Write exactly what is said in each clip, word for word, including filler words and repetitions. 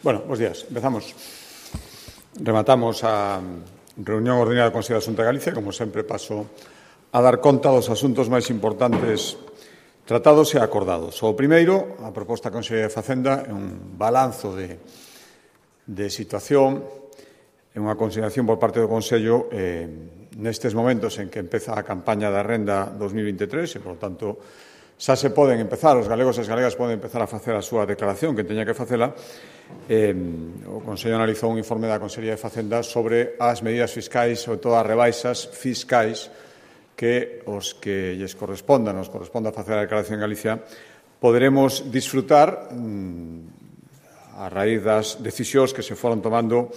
Bueno, bos días. Empezamos. Rematamos a reunión ordinaria do Consello da Xunta de Galicia. Como sempre, paso a dar conta dos asuntos máis importantes tratados e acordados. O primeiro, a proposta da Consellería de Facenda, é un balanzo de, de situación, é unha consideración por parte do Consello eh, nestes momentos en que empeza a campaña da renda dos mil veintitrés e, por tanto, xa se poden empezar, os galegos e as galegas poden empezar a facer a súa declaración, que teña que facela. Eh, o Consello analizou un informe da Consellería de Facenda sobre as medidas fiscais, sobre todo as rebaixas fiscais que os que lles correspondan, nos corresponda facer a declaración en Galicia, poderemos disfrutar mmm, a raíz das decisións que se foron tomando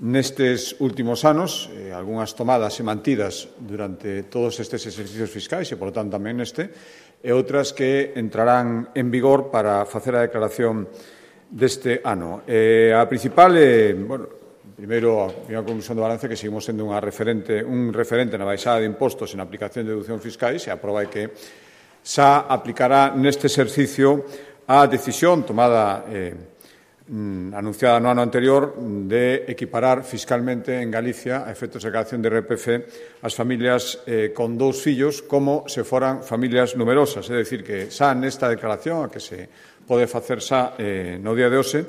nestes últimos anos, eh, algunhas tomadas e mantidas durante todos estes exercicios fiscais e, por tanto, tamén neste, e outras que entrarán en vigor para facer a declaración deste ano. Eh, a principal, eh, bueno, primeiro, a primeira conclusión do balance que seguimos sendo unha referente, un referente na baixada de impostos en aplicación de deducción fiscais e a proba é que xa aplicará neste exercicio a decisión tomada eh, anunciada no ano anterior de equiparar fiscalmente en Galicia a efectos de declaración de I R P F as familias eh, con dous fillos como se foran familias numerosas. É dicir, que xa nesta declaración a que se pode facer xa eh, no día de hoxe,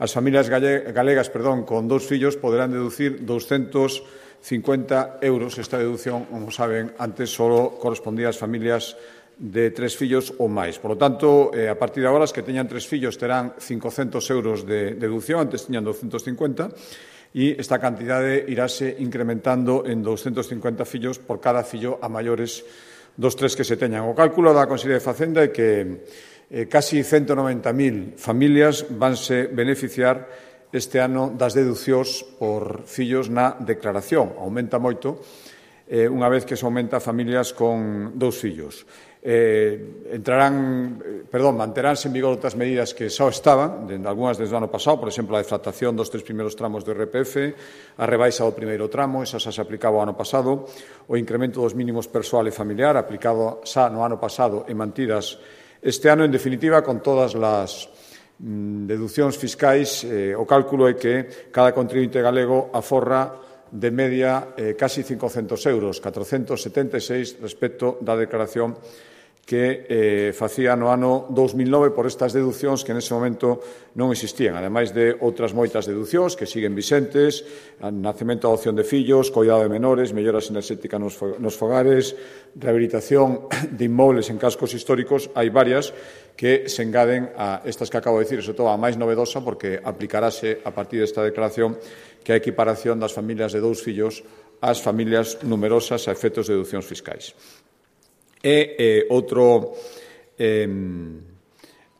as familias galegas perdón, con dous fillos poderán deducir doscentos cincuenta euros. Esta deducción, como saben, antes só correspondía ás familias de tres fillos ou máis. Por lo tanto, eh, a partir de agora, as que teñan tres fillos terán cincocentos euros de deducción, antes tiñan doscentos cincuenta, e esta cantidade iráse incrementando en doscentos cincuenta fillos por cada fillo a maiores dos tres que se teñan. O cálculo da Consellería de Facenda é que eh, casi ciento noventa mil familias vanse beneficiar este ano das deducións por fillos na declaración. Aumenta moito eh, unha vez que se aumenta a familias con dous fillos. Eh, entrarán, perdón, manteránse en vigor outras medidas que xa estaban, de, algunhas desde o ano pasado, por exemplo, a deflactación dos tres primeiros tramos do I R P F, a rebaixa do primeiro tramo, esa xa se aplicaba o ano pasado, o incremento dos mínimos persoal e familiar, aplicado xa no ano pasado e mantidas este ano. En definitiva, con todas as mm, deduccións fiscais, eh, o cálculo é que cada contribuinte galego aforra de media eh, casi cincocentos euros, catrocentos setenta e seis respecto da declaración que eh, facía no ano dos mil nove por estas deducións que nese momento non existían, ademais de outras moitas deducións que siguen vicentes, nacemento e adopción de fillos, coidado de menores, melloras enerxéticas nos, nos fogares, rehabilitación de inmobles en cascos históricos. Hai varias que se engaden a estas que acabo de dicir, sobre todo a máis novedosa, porque aplicarase a partir desta declaración que a equiparación das familias de dous fillos ás familias numerosas a efectos de deducións fiscais. E eh, outro eh,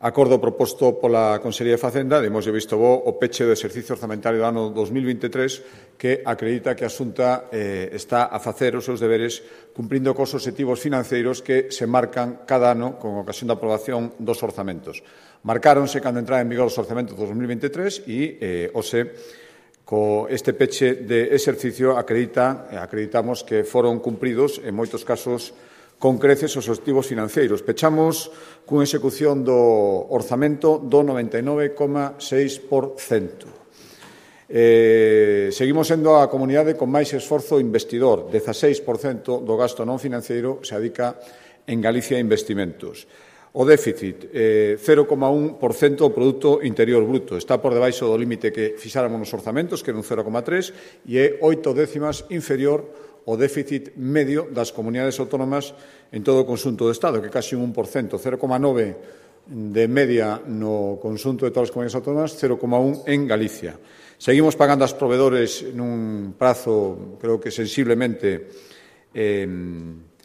acordo proposto pola Consellería de Facenda, demos de visto bo o peche do exercicio orzamentario do ano dos mil veintitrés, que acredita que a Xunta eh, está a facer os seus deberes cumprindo cos obxectivos financeiros que se marcan cada ano con ocasión da aprobación dos orzamentos. Marcáronse cando entrara en vigor os orzamentos dos dos mil veintitrés e eh, ose co este peche de exercicio acredita, acreditamos que foron cumpridos en moitos casos con creces os obxectivos financeiros. Pechamos cunha execución do orzamento do noventa e nove coma seis por cento. Eh, seguimos sendo a comunidade con máis esforzo investidor. dezaseis por cento do gasto non financeiro se adica en Galicia a investimentos. O déficit, eh, cero coma un por cento do produto interior bruto. Está por debaixo do límite que fixáramos nos orzamentos, que era un cero coma tres, e é oito décimas inferior ao déficit medio das comunidades autónomas en todo o conxunto do Estado, que é casi un un por cento, cero coma nove de media no conxunto de todas as comunidades autónomas, cero coma un en Galicia. Seguimos pagando aos provedores nun prazo, creo que sensiblemente eh,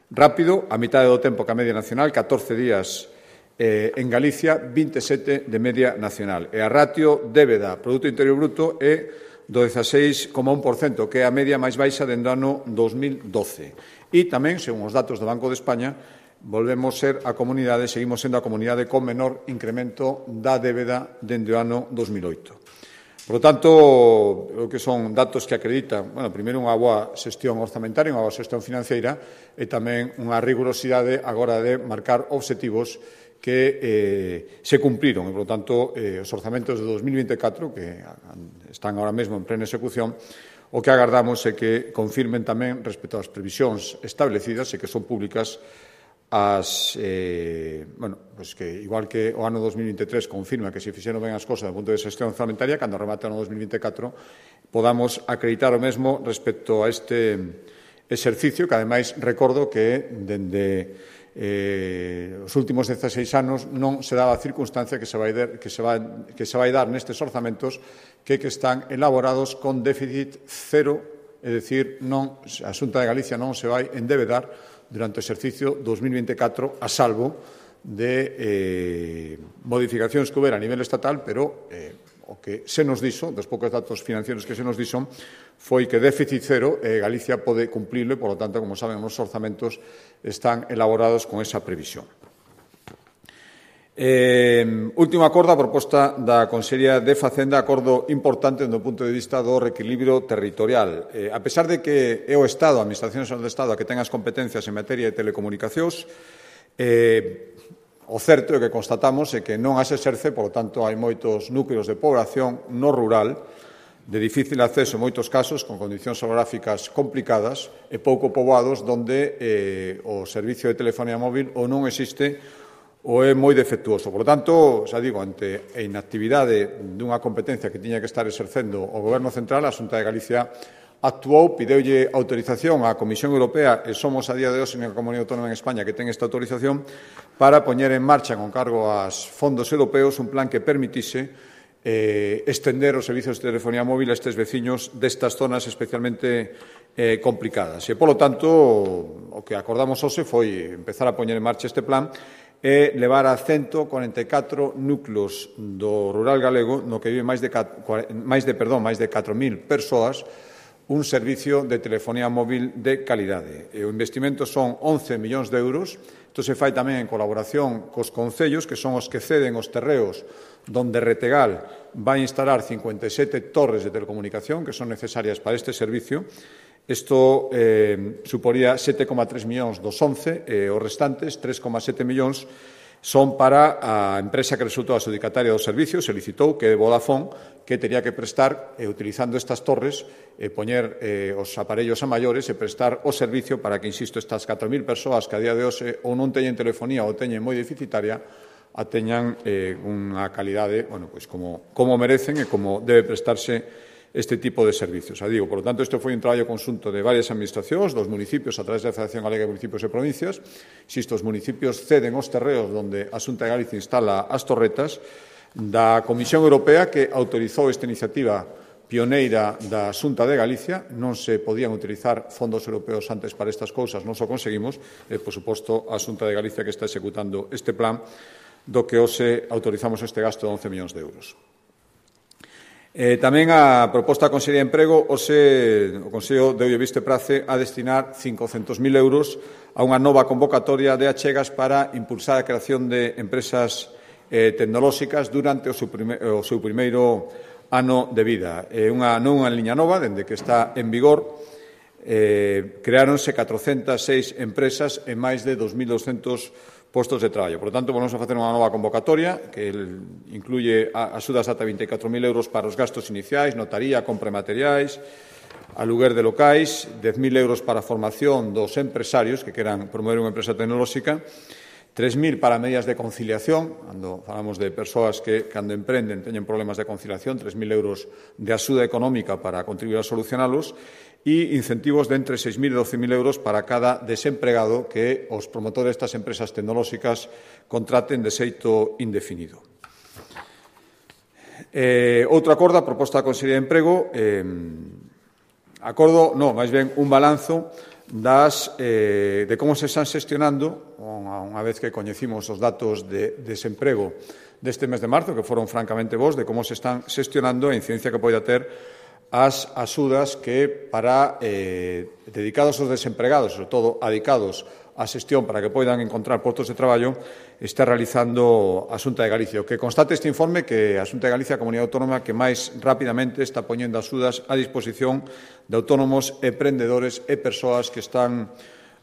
rápido, a mitad do tempo que a media nacional, catorce días eh, en Galicia, vinte e sete de media nacional. E a ratio débeda Produto Interior Bruto é do dezaseis coma un por cento, que é a media máis baixa dende o ano dos mil doce. E tamén, según os datos do Banco de España, volvemos ser a comunidade, seguimos sendo a comunidade con menor incremento da débeda dende o ano dos mil oito. Por lo tanto, o que son datos que acreditan, bueno, primeiro unha boa xestión orzamentaria, unha boa xestión financeira e tamén unha rigurosidade agora de marcar obxectivos que eh, se cumpriron e, por tanto, eh, os orzamentos de dos mil vinte e catro, que están ahora mesmo en plena execución, o que agardamos é que confirmen tamén respecto ás previsións establecidas e que son públicas as, eh, bueno, pues que igual que o ano dos mil vinte e tres confirma que se fixeron ben as cosas do punto de xestión orzamentaria, cando remate o ano dos mil vinte e catro podamos acreditar o mesmo respecto a este exercicio, que ademais recordo que dende eh, os últimos dezaseis anos non se daba a circunstancia que se vai, der, que se vai, que se vai dar nestes orzamentos que, que están elaborados con déficit cero, é dicir, non, a Xunta de Galicia non se vai endevedar durante o exercicio dos mil vinte e catro, a salvo de eh, modificacións que houbera a nivel estatal, pero eh, o que se nos dixo, dos poucos datos financieros que se nos dixo, foi que déficit cero eh, Galicia pode cumplirlo e, por lo tanto, como saben, os orzamentos están elaborados con esa previsión. Eh, último acordo, a proposta da Consellería de Facenda, acordo importante do punto de vista do reequilibrio territorial. Eh, a pesar de que é o Estado, a Administración Xeral do Estado, a que ten as competencias en materia de telecomunicacións, eh, o certo é que constatamos é que non as exerce, por lo tanto, hai moitos núcleos de población no rural de difícil acceso en moitos casos, con condicións orográficas complicadas e pouco poboados, onde eh, o servicio de telefonía móvil ou non existe ou é moi defectuoso. Por lo tanto, xa digo, ante a inactividade dunha competencia que tiña que estar exercendo o Goberno Central, a Xunta de Galicia actuou, pideulle autorización á Comisión Europea, e somos a día de hoxe unha comunidade autónoma en España que ten esta autorización, para poñer en marcha, con cargo aos fondos europeos, un plan que permitise eh, estender os servicios de telefonía móvil a estes veciños destas zonas especialmente eh, complicadas. E, polo tanto, o que acordamos hoxe foi empezar a poñer en marcha este plan e levar a ciento corenta e catro núcleos do rural galego, no que vive máis de, máis de, perdón, máis de catro mil persoas, un servicio de telefonía móvil de calidade. E o investimento son once millóns de euros. Isto se fai tamén en colaboración cos concellos, que son os que ceden os terreos donde Retegal vai instalar cincuenta e sete torres de telecomunicación que son necesarias para este servicio. Isto eh, suporía sete coma tres millóns dos once, e os restantes, tres coma sete millóns, son para a empresa que resultou adxudicataria do servicio, se licitou, que é Vodafone, que tería que prestar, eh, utilizando estas torres, eh, poñer eh, os aparellos a maiores e prestar o servicio para que, insisto, estas catro mil persoas que a día de hoxe ou non teñen telefonía ou teñen moi deficitaria, a teñan eh, unha calidade, bueno, pois como, como merecen e como debe prestarse este tipo de servicios. A digo, por lo tanto, isto foi un traballo conxunto de varias administracións, dos municipios, a través da Federación Galega de Municipios e Provincias. Insisto, os municipios ceden os terreos onde a Xunta de Galicia instala as torretas, da Comisión Europea, que autorizou esta iniciativa pioneira da Xunta de Galicia. Non se podían utilizar fondos europeos antes para estas cousas, non o conseguimos, e, por suposto, a Xunta de Galicia que está executando este plan, do que hoxe autorizamos este gasto de once millóns de euros. Eh, tamén a proposta da Consellería de Emprego, hoxe o Consello deulle visto e prace a destinar cincocentos mil euros a unha nova convocatoria de achegas para impulsar a creación de empresas eh, tecnolóxicas durante o seu, prime, o seu primeiro ano de vida. É unha, non unha liña nova, dende que está en vigor, eh, creáronse catrocentas seis empresas e máis de dos mil doscentos postos de traballo. Por lo tanto, vamos a facer unha nova convocatoria que incluye axudas ata vinte e catro mil euros para os gastos iniciais, notaría, compra de materiais, aluguer de locais, dez mil euros para a formación dos empresarios que queran promover unha empresa tecnolóxica, tres mil para medidas de conciliación, cando falamos de persoas que, cando emprenden, teñen problemas de conciliación, tres mil euros de axuda económica para contribuir a solucionalos, e incentivos de entre seis mil e doce mil euros para cada desempregado que os promotores destas empresas tecnolóxicas contraten de xeito indefinido. Eh, outro acordo, a proposta da Consellería de Emprego, eh, acordo, non, máis ben un balanzo das, eh, de como se están xestionando, unha vez que coñecimos os datos de desemprego deste mes de marzo, que foron francamente bons, de como se están xestionando a incidencia que poida ter as axudas que para eh, dedicados aos desempregados, sobre todo adicados á xestión para que poidan encontrar postos de traballo, está realizando a Xunta de Galicia. O que constate este informe que a Xunta de Galicia é a comunidade autónoma que máis rapidamente está poñendo axudas a disposición de autónomos, emprendedores e persoas que están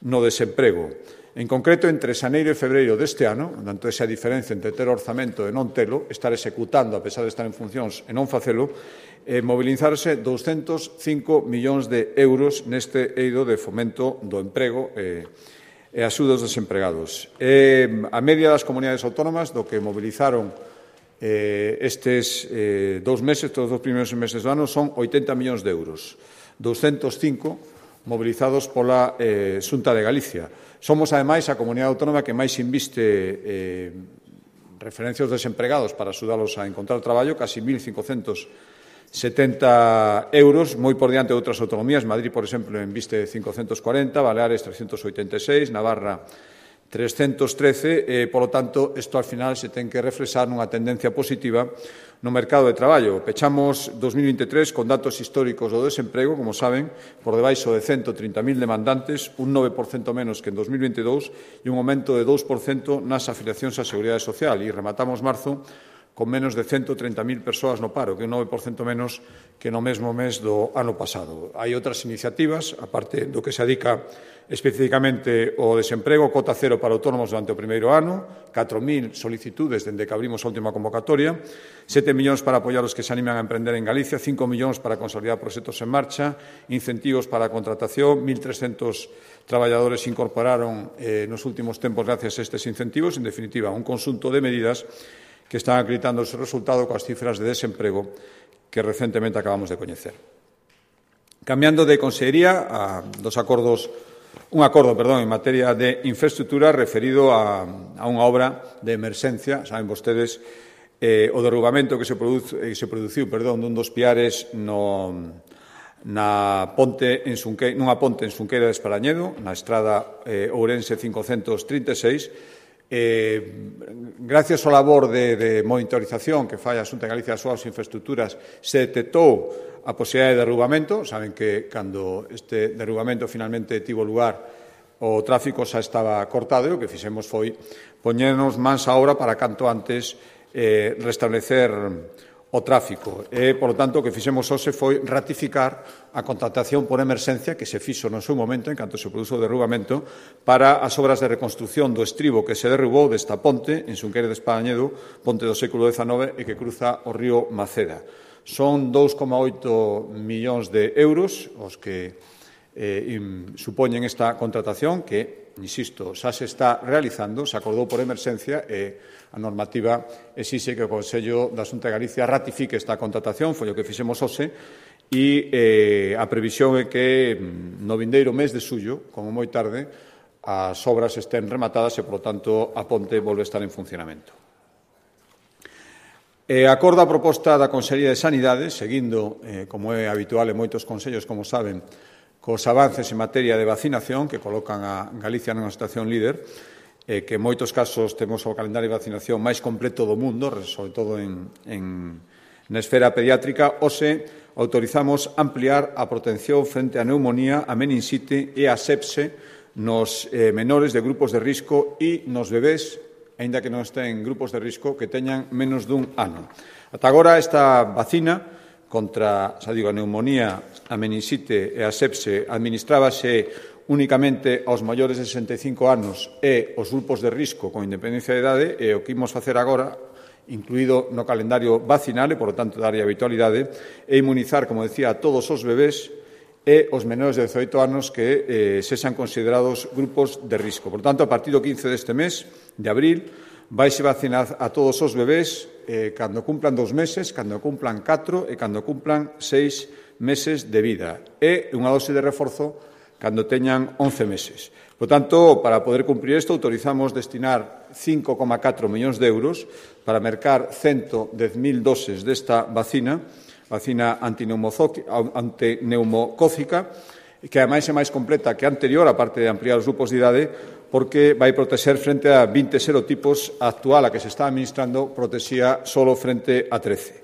no desemprego. En concreto, entre xaneiro e febreiro deste ano, tanto esa diferencia entre ter orzamento e non telo, estar executando a pesar de estar en funcións e non facelo, eh, mobilizarse douscentos cinco millóns de euros neste eido de fomento do emprego e, e axuda aos desempregados. Eh, a media das comunidades autónomas do que movilizaron eh, estes eh, dous meses, todos os primeiros meses do ano, son oitenta millóns de euros. douscentos cinco mobilizados pola eh, Xunta de Galicia. Somos, ademais, a comunidade autónoma que máis inviste eh, referencia aos desempregados para axudalos a encontrar traballo, casi mil cincocentos setenta euros, moi por diante de outras autonomías. Madrid, por exemplo, inviste cincocentos cuarenta, Baleares trescentos oitenta e seis, Navarra trescentos trece, e, polo tanto, isto al final se ten que reflexar nunha tendencia positiva no mercado de traballo. Pechamos dos mil veintitrés con datos históricos do desemprego, como saben, por debaixo de cento trinta mil demandantes, un nove por cento menos que en dos mil veintidous e un aumento de dous por cento nas afiliacións á Seguridade Social. E rematamos marzo con menos de cento trinta mil persoas no paro, que é un nove por cento menos que no mesmo mes do ano pasado. Hai outras iniciativas, aparte do que se adica especificamente o desemprego, cota cero para autónomos durante o primeiro ano, catro mil solicitudes dende que abrimos a última convocatoria, sete millóns para apoiar os que se animan a emprender en Galicia, cinco millóns para consolidar proxectos en marcha, incentivos para a contratación, mil trescentos traballadores se incorporaron eh, nos últimos tempos gracias a estes incentivos. En definitiva, un conxunto de medidas que están acreditando o seu resultado coas cifras de desemprego que recentemente acabamos de coñecer. Cambiando de consellería a dos acordos Un acordo, perdón, en materia de infraestructura referido a, a unha obra de emerxencia. Saben vostedes eh, o derrubamento que se, produce, eh, se produciu perdón, dun dos piares no, na ponte en Sunque, nunha ponte en Xunqueira de Esparañedo, na estrada eh, Ourense cincocentos trinta e seis. Eh, gracias ao labor de, de monitorización que fai a Xunta de Galicia das súas infraestructuras, se detectou a posibilidade de derrubamento. Saben que cando este derrubamento finalmente tivo lugar, o tráfico xa estaba cortado e o que fixemos foi poñernos mans á obra para canto antes eh, restablecer o tráfico. E, polo tanto, o que fixemos hoxe foi ratificar a contratación por emerxencia que se fixo no seu momento, en canto se produzo o derrubamento, para as obras de reconstrucción do estribo que se derrubou desta ponte en Xunqueira de Esparañedo, ponte do século dezanove e que cruza o río Maceda. Son dous coma oito millóns de euros os que eh, supoñen esta contratación que, insisto, xa se está realizando, se acordou por emerxencia e a normativa exixe que o Consello da Xunta de Galicia ratifique esta contratación, foi o que fixemos hoxe, e eh, a previsión é que no vindeiro mes de xullo, como moi tarde, as obras estén rematadas e, polo tanto, a ponte volve a estar en funcionamento. E acordo a proposta da Consellería de Sanidade, seguindo, eh, como é habitual en moitos consellos, como saben, cos avances en materia de vacinación que colocan a Galicia nunha situación líder, eh, que en moitos casos temos o calendario de vacinación máis completo do mundo, sobre todo en, en, na esfera pediátrica. Hoxe autorizamos ampliar a protección frente á neumonía, a meningite e a sepse nos eh, menores de grupos de risco e nos bebés, aínda que non estén en grupos de risco, que teñan menos dun ano. Ata agora, esta vacina contra, xa digo, a neumonía, a meningite e a sepse administrábase únicamente aos maiores de sesenta e cinco anos e aos grupos de risco con independencia de idade, e o que imos facer agora, incluído no calendario vacinal e, por lo tanto, darlle habitualidade, é inmunizar, como decía, a todos os bebés e os menores de dezoito anos que eh, sexan considerados grupos de risco. Por tanto, a partir do quince deste mes, de abril, vaise vacinar a todos os bebés eh, cando cumplan dos meses, cando cumplan catro e cando cumplan seis meses de vida. E unha dose de reforzo cando teñan once meses. Por tanto, para poder cumprir isto, autorizamos destinar cinco coma catro millóns de euros para mercar ciento dez mil doses desta vacina, vacina antineumocócica, que ademais é máis completa que a anterior, aparte de ampliar os grupos de idade, porque vai proteger frente a vinte serotipos. A actual, a que se está administrando, protexía solo frente a trece.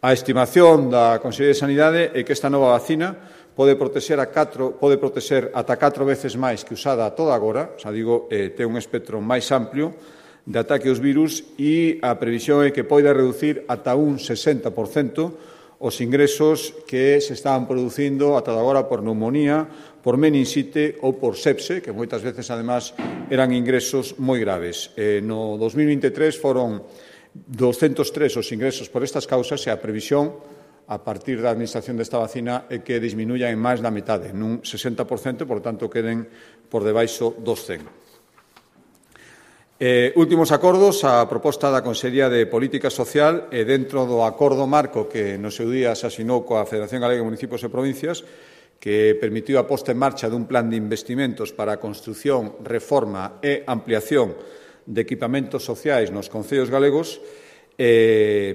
A estimación da Consellería de Sanidade é que esta nova vacina pode protexer, a catro, pode protexer ata catro veces máis que usada a toda agora, xa digo, eh, ten un espectro máis amplio de ataque aos virus, e a previsión é que poida reducir ata un sesenta por cento os ingresos que se estaban producindo ata agora por neumonía, por meningite ou por sepse, que moitas veces, además, eran ingresos moi graves. Eh, no dos mil vinte e tres foron doscentos tres os ingresos por estas causas e a previsión a partir da administración desta vacina é que disminuya en máis da metade, nun sesenta por cento, por tanto, queden por debaixo dos cen. Eh, últimos acordos, a proposta da Consellería de Política Social e dentro do acordo marco que no seu día se asinou coa Federación Galega de Municipios e Provincias, que permitiu a posta en marcha dun plan de investimentos para a construción, reforma e ampliación de equipamentos sociais nos concellos galegos, eh,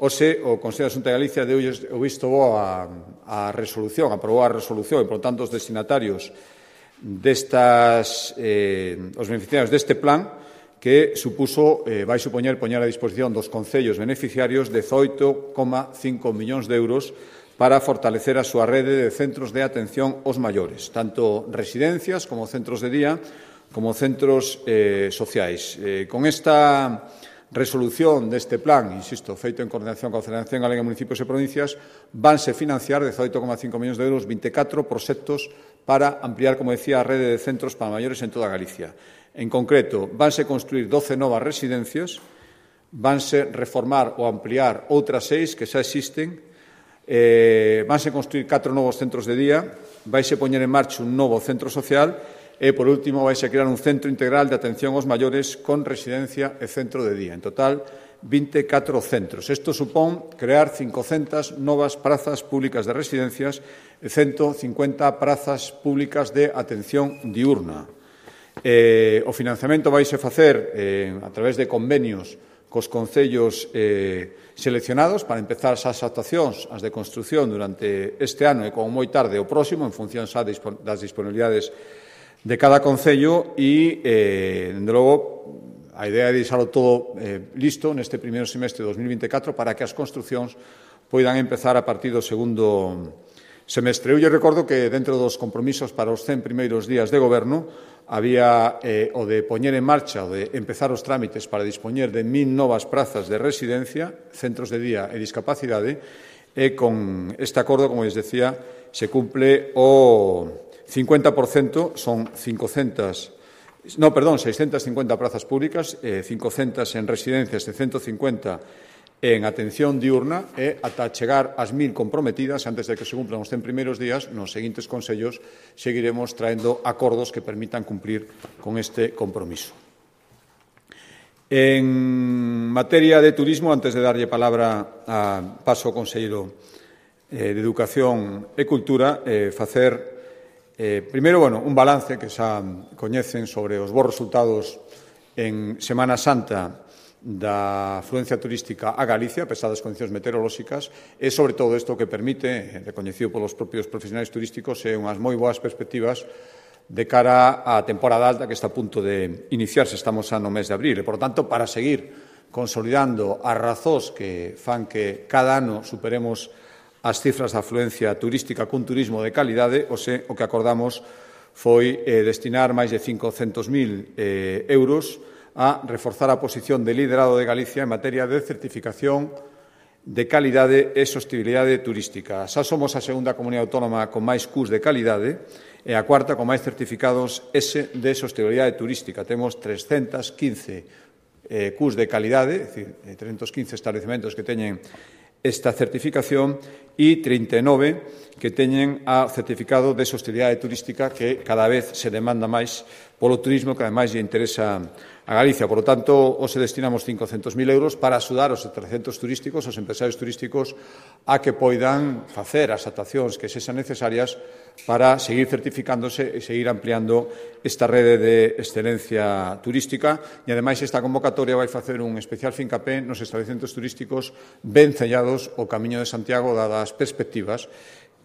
Ose, o Consello da Xunta de Galicia deu o visto bo a, a resolución, aprobou a resolución e, por tanto, os destinatarios destas, eh, os beneficiarios deste plan que supuso, eh, vai supoñer poñer a disposición dos concellos beneficiarios dezoito coma cinco millóns de euros para fortalecer a súa rede de centros de atención aos maiores, tanto residencias como centros de día, como centros eh, sociais. Eh, con esta resolución deste plan, insisto, feito en coordinación coa Federación Galega de Municipios e Provincias, vanse financiar dezoito coma cinco millóns de euros vinte e catro proxectos para ampliar, como decía, a rede de centros para maiores en toda Galicia. En concreto, vanse construir doce novas residencias, vanse reformar ou ampliar outras seis que xa existen, eh, vanse construir catro novos centros de día, vaise poñer en marcha un novo centro social e, por último, vaise crear un centro integral de atención aos maiores con residencia e centro de día. En total, vinte e catro centros. Isto supón crear cincocentas novas prazas públicas de residencias e ciento cincuenta prazas públicas de atención diurna. Eh, o financiamento vaise facer eh, a través de convenios cos concellos eh, seleccionados para empezar as actuacións, as de construción durante este ano e como moi tarde o próximo, en función xa das disponibilidades de cada concello e, eh, dende logo, a idea é deixalo todo eh, listo neste primeiro semestre de dos mil vinte e catro para que as construcións poidan empezar a partir do segundo semestre. Eu lle recordo que dentro dos compromisos para os cen primeiros días de goberno había eh, o de poñer en marcha, o de empezar os trámites para dispoñer de mil novas prazas de residencia, centros de día e discapacidade, e con este acordo, como les decía, se cumple o cincuenta por cento, son cincocentas, no, perdón, seiscentas cincuenta prazas públicas, eh, cincocentas en residencias e ciento cincuenta en atención diurna e ata chegar ás mil comprometidas antes de que se cumplan os cen primeiros días, nos seguintes consellos seguiremos traendo acordos que permitan cumplir con este compromiso. En materia de turismo, antes de darlle palabra a paso ao conselleiro eh, de Educación e Cultura, eh, facer eh, primeiro, bueno, un balance que xa coñecen sobre os bons resultados en Semana Santa da afluencia turística a Galicia, a pesar das condicións meteorolóxicas, e, sobre todo, isto que permite, reconhecido polos propios profesionais turísticos, e unhas moi boas perspectivas de cara á temporada alta que está a punto de iniciarse. Estamos xa no mes de abril e, por tanto, para seguir consolidando as razóns que fan que cada ano superemos as cifras de afluencia turística cun turismo de calidade, o, se, o que acordamos foi eh, destinar máis de cincocentos mil eh, euros a reforzar a posición de liderado de Galicia en materia de certificación de calidade e sostibilidade turística. Xa somos a segunda comunidade autónoma con máis C U S de calidade e a cuarta con máis certificados S de sostibilidade turística. Temos trescentos quince eh, C U S de calidade, é dicir, trescentos quince estabelecementos que teñen esta certificación e trinta e nove que teñen a certificado de sostibilidade turística que cada vez se demanda máis polo turismo que ademais lle interesa a Galicia. Por lo tanto, hoxe destinamos cincocentos mil euros para axudar os trescentos turísticos, os empresarios turísticos, a que poidan facer as actuacións que sexan necesarias para seguir certificándose e seguir ampliando esta rede de excelencia turística. E, ademais, esta convocatoria vai facer un especial fincapé nos estabelecementos turísticos ben sellados ao Camiño de Santiago, dadas as perspectivas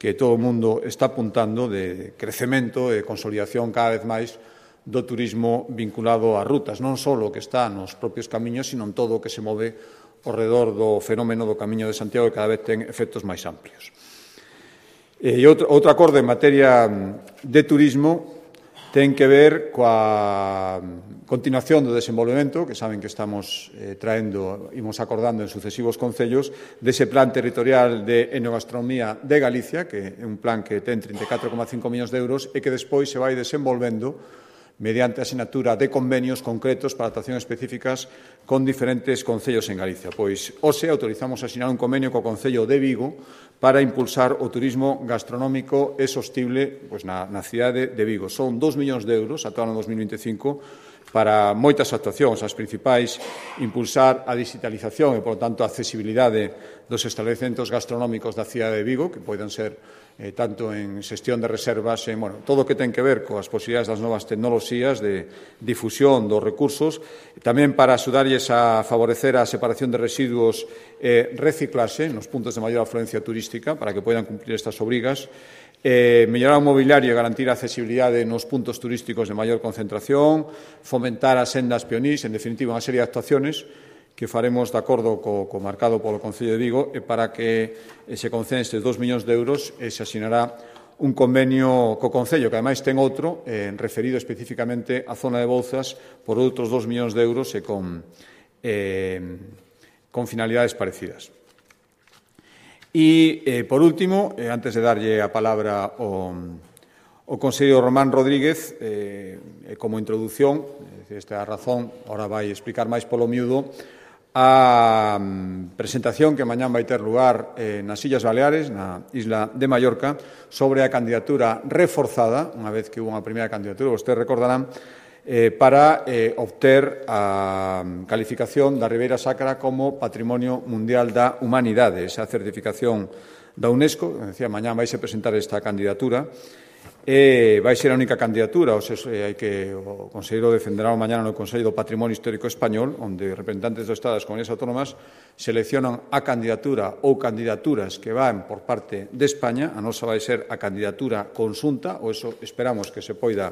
que todo o mundo está apuntando de crecemento e consolidación cada vez máis do turismo vinculado ás rutas, non só o que está nos propios camiños, sino en todo o que se move ao redor do fenómeno do Camiño de Santiago, que cada vez ten efectos máis amplios. E outro, outro acordo en materia de turismo ten que ver coa continuación do desenvolvemento, que saben que estamos eh, traendo, imos acordando en sucesivos concellos, dese plan territorial de enogastronomía de Galicia, que é un plan que ten trinta e catro coma cinco millóns de euros e que despois se vai desenvolvendo mediante a sinatura de convenios concretos para actuacións específicas con diferentes concellos en Galicia. Pois, hoxe, autorizamos a asinar un convenio co Concello de Vigo para impulsar o turismo gastronómico e sostible pois, na, na cidade de Vigo. Son dos millóns de euros ata o ano dos mil vinte e cinco para moitas actuacións, as principais, impulsar a digitalización e, por tanto, a accesibilidade dos establecementos gastronómicos da cidade de Vigo, que poden ser eh, tanto en xestión de reservas, en, bueno, todo o que ten que ver coas posibilidades das novas tecnoloxías de difusión dos recursos, tamén para axudarlles a favorecer a separación de residuos e eh, reciclarse nos puntos de maior afluencia turística para que poidan cumplir estas obrigas, Eh, mellorar o mobiliario e garantir a accesibilidade nos puntos turísticos de maior concentración, fomentar as sendas pionís, en definitiva, unha serie de actuaciones que faremos de acordo co, co marcado polo Concello de Vigo e para que eh, se conceden estes dos millóns de euros e se asinará un convenio co Concello, que ademais ten outro eh, referido especificamente á zona de Bouzas por outros dos millóns de euros e con, eh, con finalidades parecidas. E, eh, por último, eh, antes de darlle a palabra ao, ao conselleiro Román Rodríguez, eh, como introdución, esta é a razón, ahora vai explicar máis polo miúdo, a um, presentación que mañán vai ter lugar eh, nas Illas Baleares, na isla de Mallorca, sobre a candidatura reforzada, unha vez que hubo unha primeira candidatura, vostedes recordarán, Eh, para eh, obter a calificación da Ribeira Sacra como Patrimonio Mundial da Humanidade, esa certificación da UNESCO. Decía, mañán vai se presentar esta candidatura, e vai ser a única candidatura, ou se, hai que, o conselleiro defenderá mañana no Consello do Patrimonio Histórico Español, onde representantes do Estado das Comunidades Autónomas seleccionan a candidatura ou candidaturas que van por parte de España. A nosa vai ser a candidatura conxunta, ou eso esperamos que se poida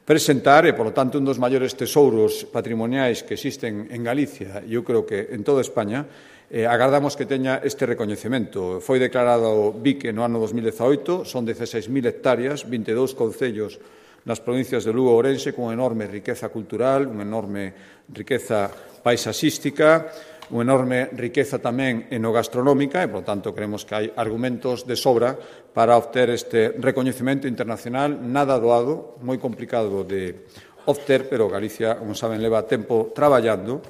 presentar, e, por lo tanto, un dos maiores tesouros patrimoniais que existen en Galicia, e eu creo que en toda España, eh, agardamos que teña este recoñecemento. Foi declarado B I C no ano dos mil dezaoito, son dieciséis mil hectáreas, vinte e dous concellos nas provincias de Lugo e Ourense, con enorme riqueza cultural, unha enorme riqueza paisaxística, unha enorme riqueza tamén enogastronómica e, por tanto, creemos que hai argumentos de sobra para obter este recoñecemento internacional nada doado, moi complicado de obter, pero Galicia, como saben, leva tempo traballando.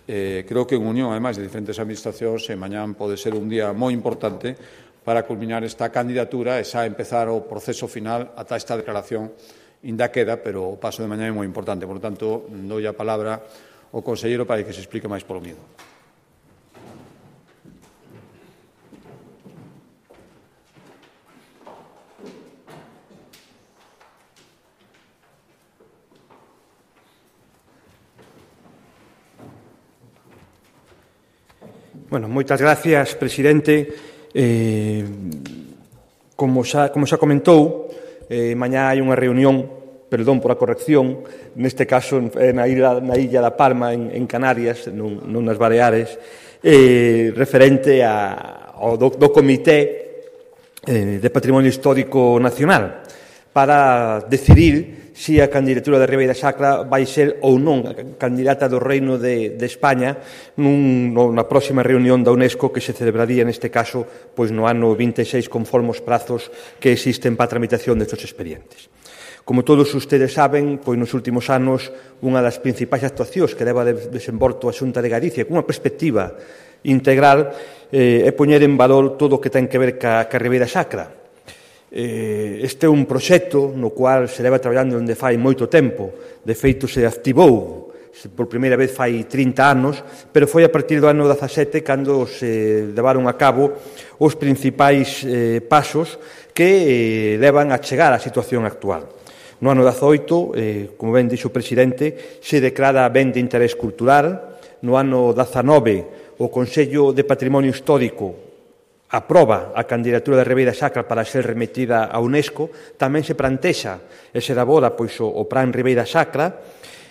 Eh, creo que en unión, ademais, de diferentes administracións, e mañán pode ser un día moi importante para culminar esta candidatura e xa empezar o proceso final ata esta declaración inda queda, pero o paso de mañán é moi importante. Por lo tanto, dou a palabra ao conselleiro para que se explique máis polo miúdo. Bueno, moitas gracias, presidente. Eh, como, xa, como xa comentou, eh, mañá hai unha reunión, perdón por a corrección, neste caso na illa, na illa da Palma, en, en Canarias, non, non nas Baleares, eh, referente a, ao do, do Comité eh, de Patrimonio Histórico Nacional, para decidir se a candidatura de Ribeira Sacra vai ser ou non a candidata do Reino de, de España nun, no, na próxima reunión da UNESCO que se celebraría neste caso pois no ano vinte e seis conforme os prazos que existen para a tramitación destes expedientes. Como todos ustedes saben, pois nos últimos anos unha das principais actuacións que leva de desenvolto a Xunta de Galicia cunha perspectiva integral eh, é poñer en valor todo o que ten que ver ca, ca Ribeira Sacra. Este é un proxecto no cual se leva traballando onde fai moito tempo. De feito, se activou por primeira vez fai trinta anos, pero foi a partir do ano dezasete cando se levaron a cabo os principais eh, pasos que eh, levan a chegar á situación actual. No ano dezaoito, eh, como ben dixo o presidente, se declara ben de interés cultural. No ano dezanove, o Consello de Patrimonio Histórico aproba a candidatura de Ribeira Sacra para ser remetida a UNESCO. Tamén se plantexa e se elabora pois, o, o Plan Ribeira Sacra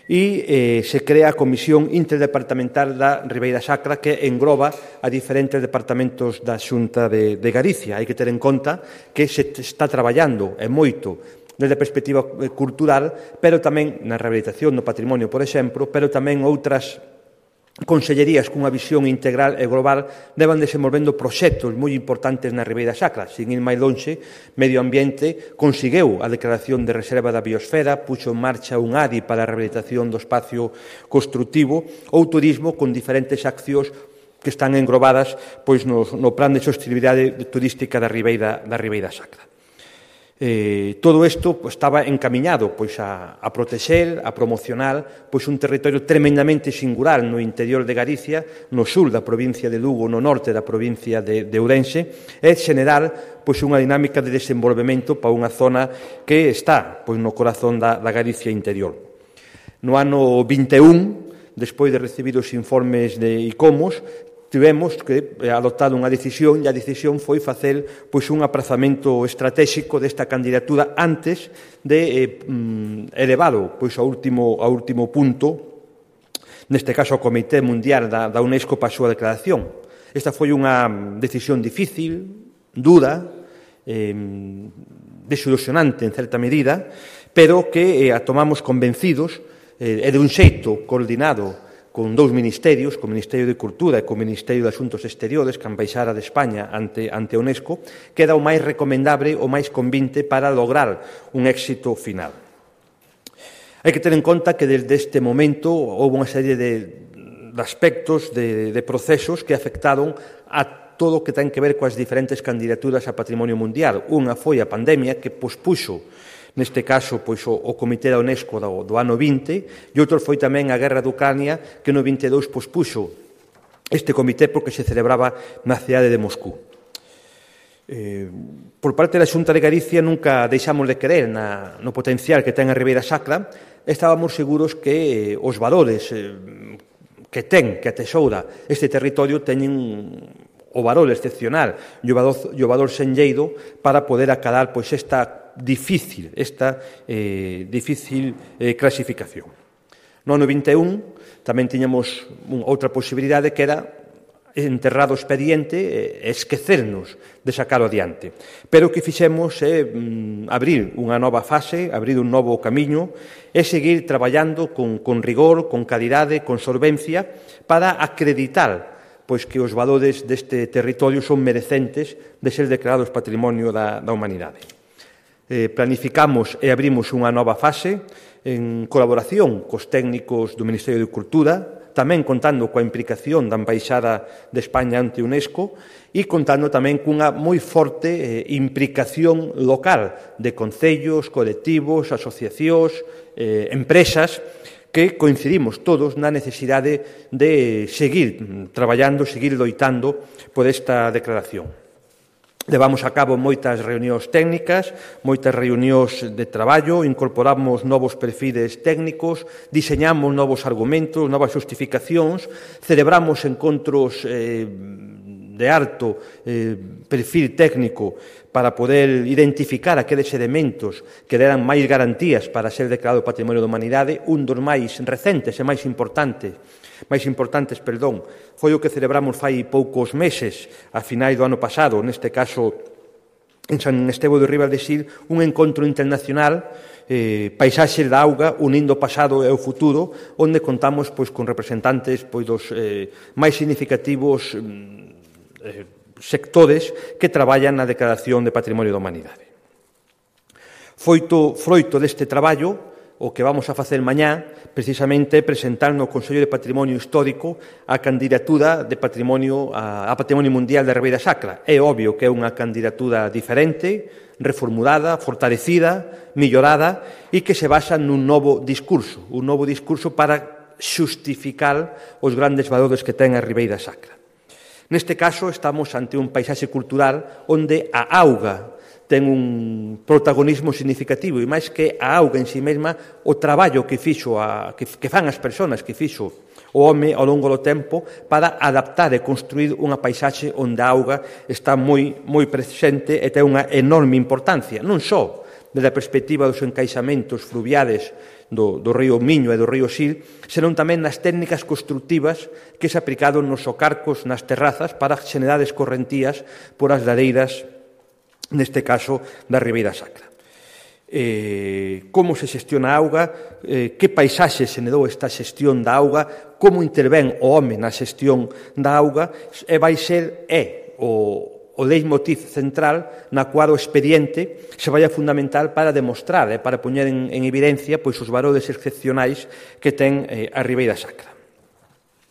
e eh, se crea a Comisión Interdepartamental da Ribeira Sacra que engloba a diferentes departamentos da Xunta de, de Galicia. Hai que ter en conta que se está traballando e moito desde a perspectiva cultural, pero tamén na rehabilitación do patrimonio, por exemplo, pero tamén outras consellerías cunha visión integral e global devan desenvolvendo proxectos moi importantes na Ribeira Sacra. Sin ir máis lonxe, Medio Ambiente conseguiu a declaración de reserva da biosfera, puxo en marcha un A D I para a rehabilitación do espacio construtivo ou turismo con diferentes accións que están englobadas pois, no, no plan de sostenibilidade turística da Ribeira, da Ribeira Sacra. Eh, todo isto pues, estaba encamiñado pois, a, a protexer, a promocionar pois, un territorio tremendamente singular no interior de Galicia, no sur da provincia de Lugo, no norte da provincia de, de Ourense, e generar pois, unha dinámica de desenvolvemento para unha zona que está pois, no corazón da, da Galicia interior. No ano vinte e un, despois de recibir os informes de ICOMOS, tivemos que adoptar unha decisión e a decisión foi facer pois, un aprazamento estratégico desta candidatura antes de eh, elevado pois, ao, último, ao último punto, neste caso ao Comité Mundial da, da UNESCO para a súa declaración. Esta foi unha decisión difícil, dura, eh, desilusionante en certa medida, pero que eh, a tomamos convencidos eh, e de un xeito coordinado con dous ministerios, co Ministerio de Cultura e co Ministerio de Asuntos Exteriores, que a Embaixada de España ante, ante a UNESCO, que era o máis recomendable, o máis convinte para lograr un éxito final. Hai que ter en conta que desde este momento houve unha serie de, de aspectos, de, de procesos que afectaron a todo o que ten que ver coas diferentes candidaturas a patrimonio mundial. Unha foi a pandemia que pospuxo neste caso, pois, o, o Comité da UNESCO do, do ano vinte, e outro foi tamén a guerra de Ucrania, que no vinte e dous pospuxo este comité porque se celebraba na cidade de Moscú. Eh, por parte da Xunta de Galicia nunca deixamos de creer na, no potencial que ten a Ribeira Sacra. Estábamos seguros que eh, os valores eh, que ten, que atesoura este territorio teñen o valor excepcional e o valor, o valor senlleiro para poder acalar pois, esta difícil, esta eh, difícil eh, clasificación. No ano vinte e un tamén tiñamos un, outra posibilidade que era enterrado o expediente e esquecernos de sacarlo adiante. Pero o que fixemos é mm, abrir unha nova fase, abrir un novo camiño e seguir traballando con, con rigor, con calidade, con solvencia para acreditar pois que os valores deste territorio son merecentes de ser declarados patrimonio da, da humanidade. Eh, planificamos e abrimos unha nova fase en colaboración cos técnicos do Ministerio de Cultura, tamén contando coa implicación da Embaixada de España ante UNESCO e contando tamén cunha moi forte eh, implicación local de concellos, colectivos, asociacións, eh, empresas, que coincidimos todos na necesidade de seguir traballando, seguir loitando por esta declaración. Levamos a cabo moitas reunións técnicas, moitas reunións de traballo, incorporamos novos perfiles técnicos, diseñamos novos argumentos, novas justificacións, celebramos encontros eh, de alto eh, perfil técnico para poder identificar aqueles elementos que deran máis garantías para ser declarado Patrimonio da Humanidade. Un dos máis recentes e máis importantes máis importantes, perdón, foi o que celebramos fai poucos meses, a finais do ano pasado, neste caso en San Estevo de Ribadesir, un encontro internacional, eh, Paisaxes da Auga, unindo o pasado e o futuro, onde contamos pois, con representantes pois, dos eh, máis significativos eh, sectores que traballan na Declaración de Patrimonio da Humanidade. Foito, froito deste traballo, o que vamos a facer mañá, precisamente, presentar no Consello de Patrimonio Histórico a candidatura de patrimonio a, a Patrimonio Mundial da Ribeira Sacra. É obvio que é unha candidatura diferente, reformulada, fortalecida, millorada e que se basa nun novo discurso, un novo discurso para xustificar os grandes valores que ten a Ribeira Sacra. Neste caso, estamos ante un paisaxe cultural onde a auga ten un protagonismo significativo e máis que a auga en si mesma, o traballo que fixo a, que, que fan as persoas, que fixo o home ao longo do tempo para adaptar e construir unha paisaxe onde a auga está moi, moi presente e ten unha enorme importancia, non só desde a perspectiva dos encaixamentos fluviales do, do río Miño e do río Sil, senón tamén nas técnicas constructivas que se aplicaron nos socarcos, nas terrazas, para xenerar escorrentías por as ladeiras neste caso da Ribeira Sacra. eh, como se xestiona a auga, eh, que paisaxe se nedou esta xestión da auga, como intervén o home na xestión da auga, e vai ser é o o leitmotiv central na cual o expediente se vai a fundamental para demostrar e para poñer en, en evidencia pois, os valores excepcionais que ten eh, a Ribeira Sacra.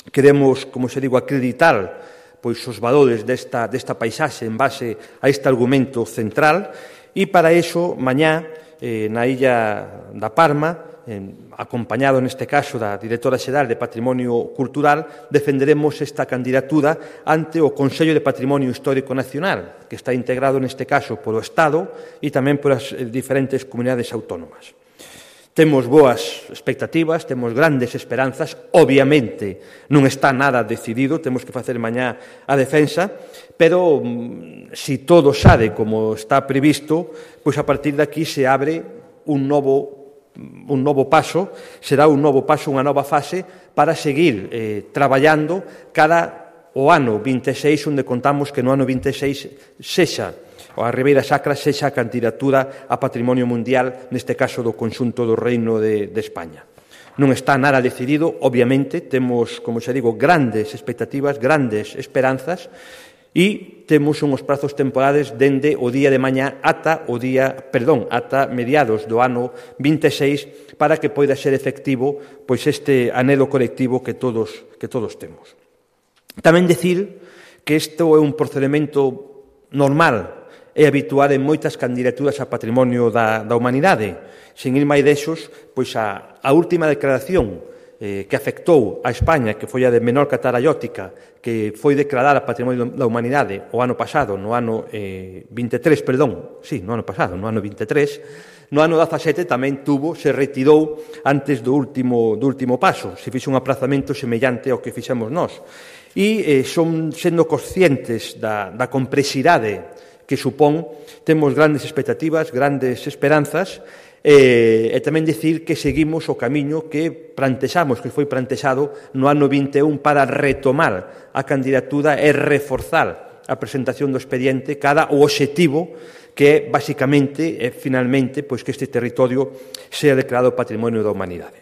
Queremos, como se digo, acreditar pois, os valores desta, desta paisaxe en base a este argumento central e para iso, mañá, eh, na illa da Parma, eh, acompañado neste caso da Directora Xeral de Patrimonio Cultural, defenderemos esta candidatura ante o Consello de Patrimonio Histórico Nacional, que está integrado neste caso polo Estado e tamén polas diferentes comunidades autónomas. Temos boas expectativas, temos grandes esperanzas, obviamente non está nada decidido, temos que facer mañá a defensa, pero se todo xade como está previsto, pois a partir de aquí se abre un novo un novo paso, será un novo paso, unha nova fase para seguir eh, traballando cada o ano vinte e seis, onde contamos que no ano vinte e seis sexa a Ribeira Sacra sexa a candidatura a Patrimonio Mundial, neste caso do conxunto do Reino de, de España. Non está nada decidido, obviamente, temos, como xa digo, grandes expectativas, grandes esperanzas, e temos unhos prazos temporales dende o día de mañá ata o día, perdón, ata mediados do ano vinte e seis para que poida ser efectivo pois este anhelo colectivo que todos que todos temos. Tamén dicir que isto é un procedimento normal e habitual en moitas candidaturas a patrimonio da, da humanidade. Sin ir máis desos, pois a, a última declaración Eh, que afectou a España, que foi a de Menorca Tarallótica, que foi declarada Patrimonio da Humanidade o ano pasado, no ano eh, vinte e tres, perdón, sí, no ano pasado, no ano vinte e tres, no ano dezasete tamén tuvo, se retirou antes do último, do último paso, se fixe un aprazamento semellante ao que fixemos nós. E eh, son sendo conscientes da, da complexidade que supón, temos grandes expectativas, grandes esperanzas, E, e tamén dicir que seguimos o camiño que plantexamos, que foi plantexado no ano vinte e un para retomar a candidatura e reforzar a presentación do expediente cada o obxectivo que é, basicamente, e finalmente, pois que este territorio sea declarado Patrimonio da Humanidade.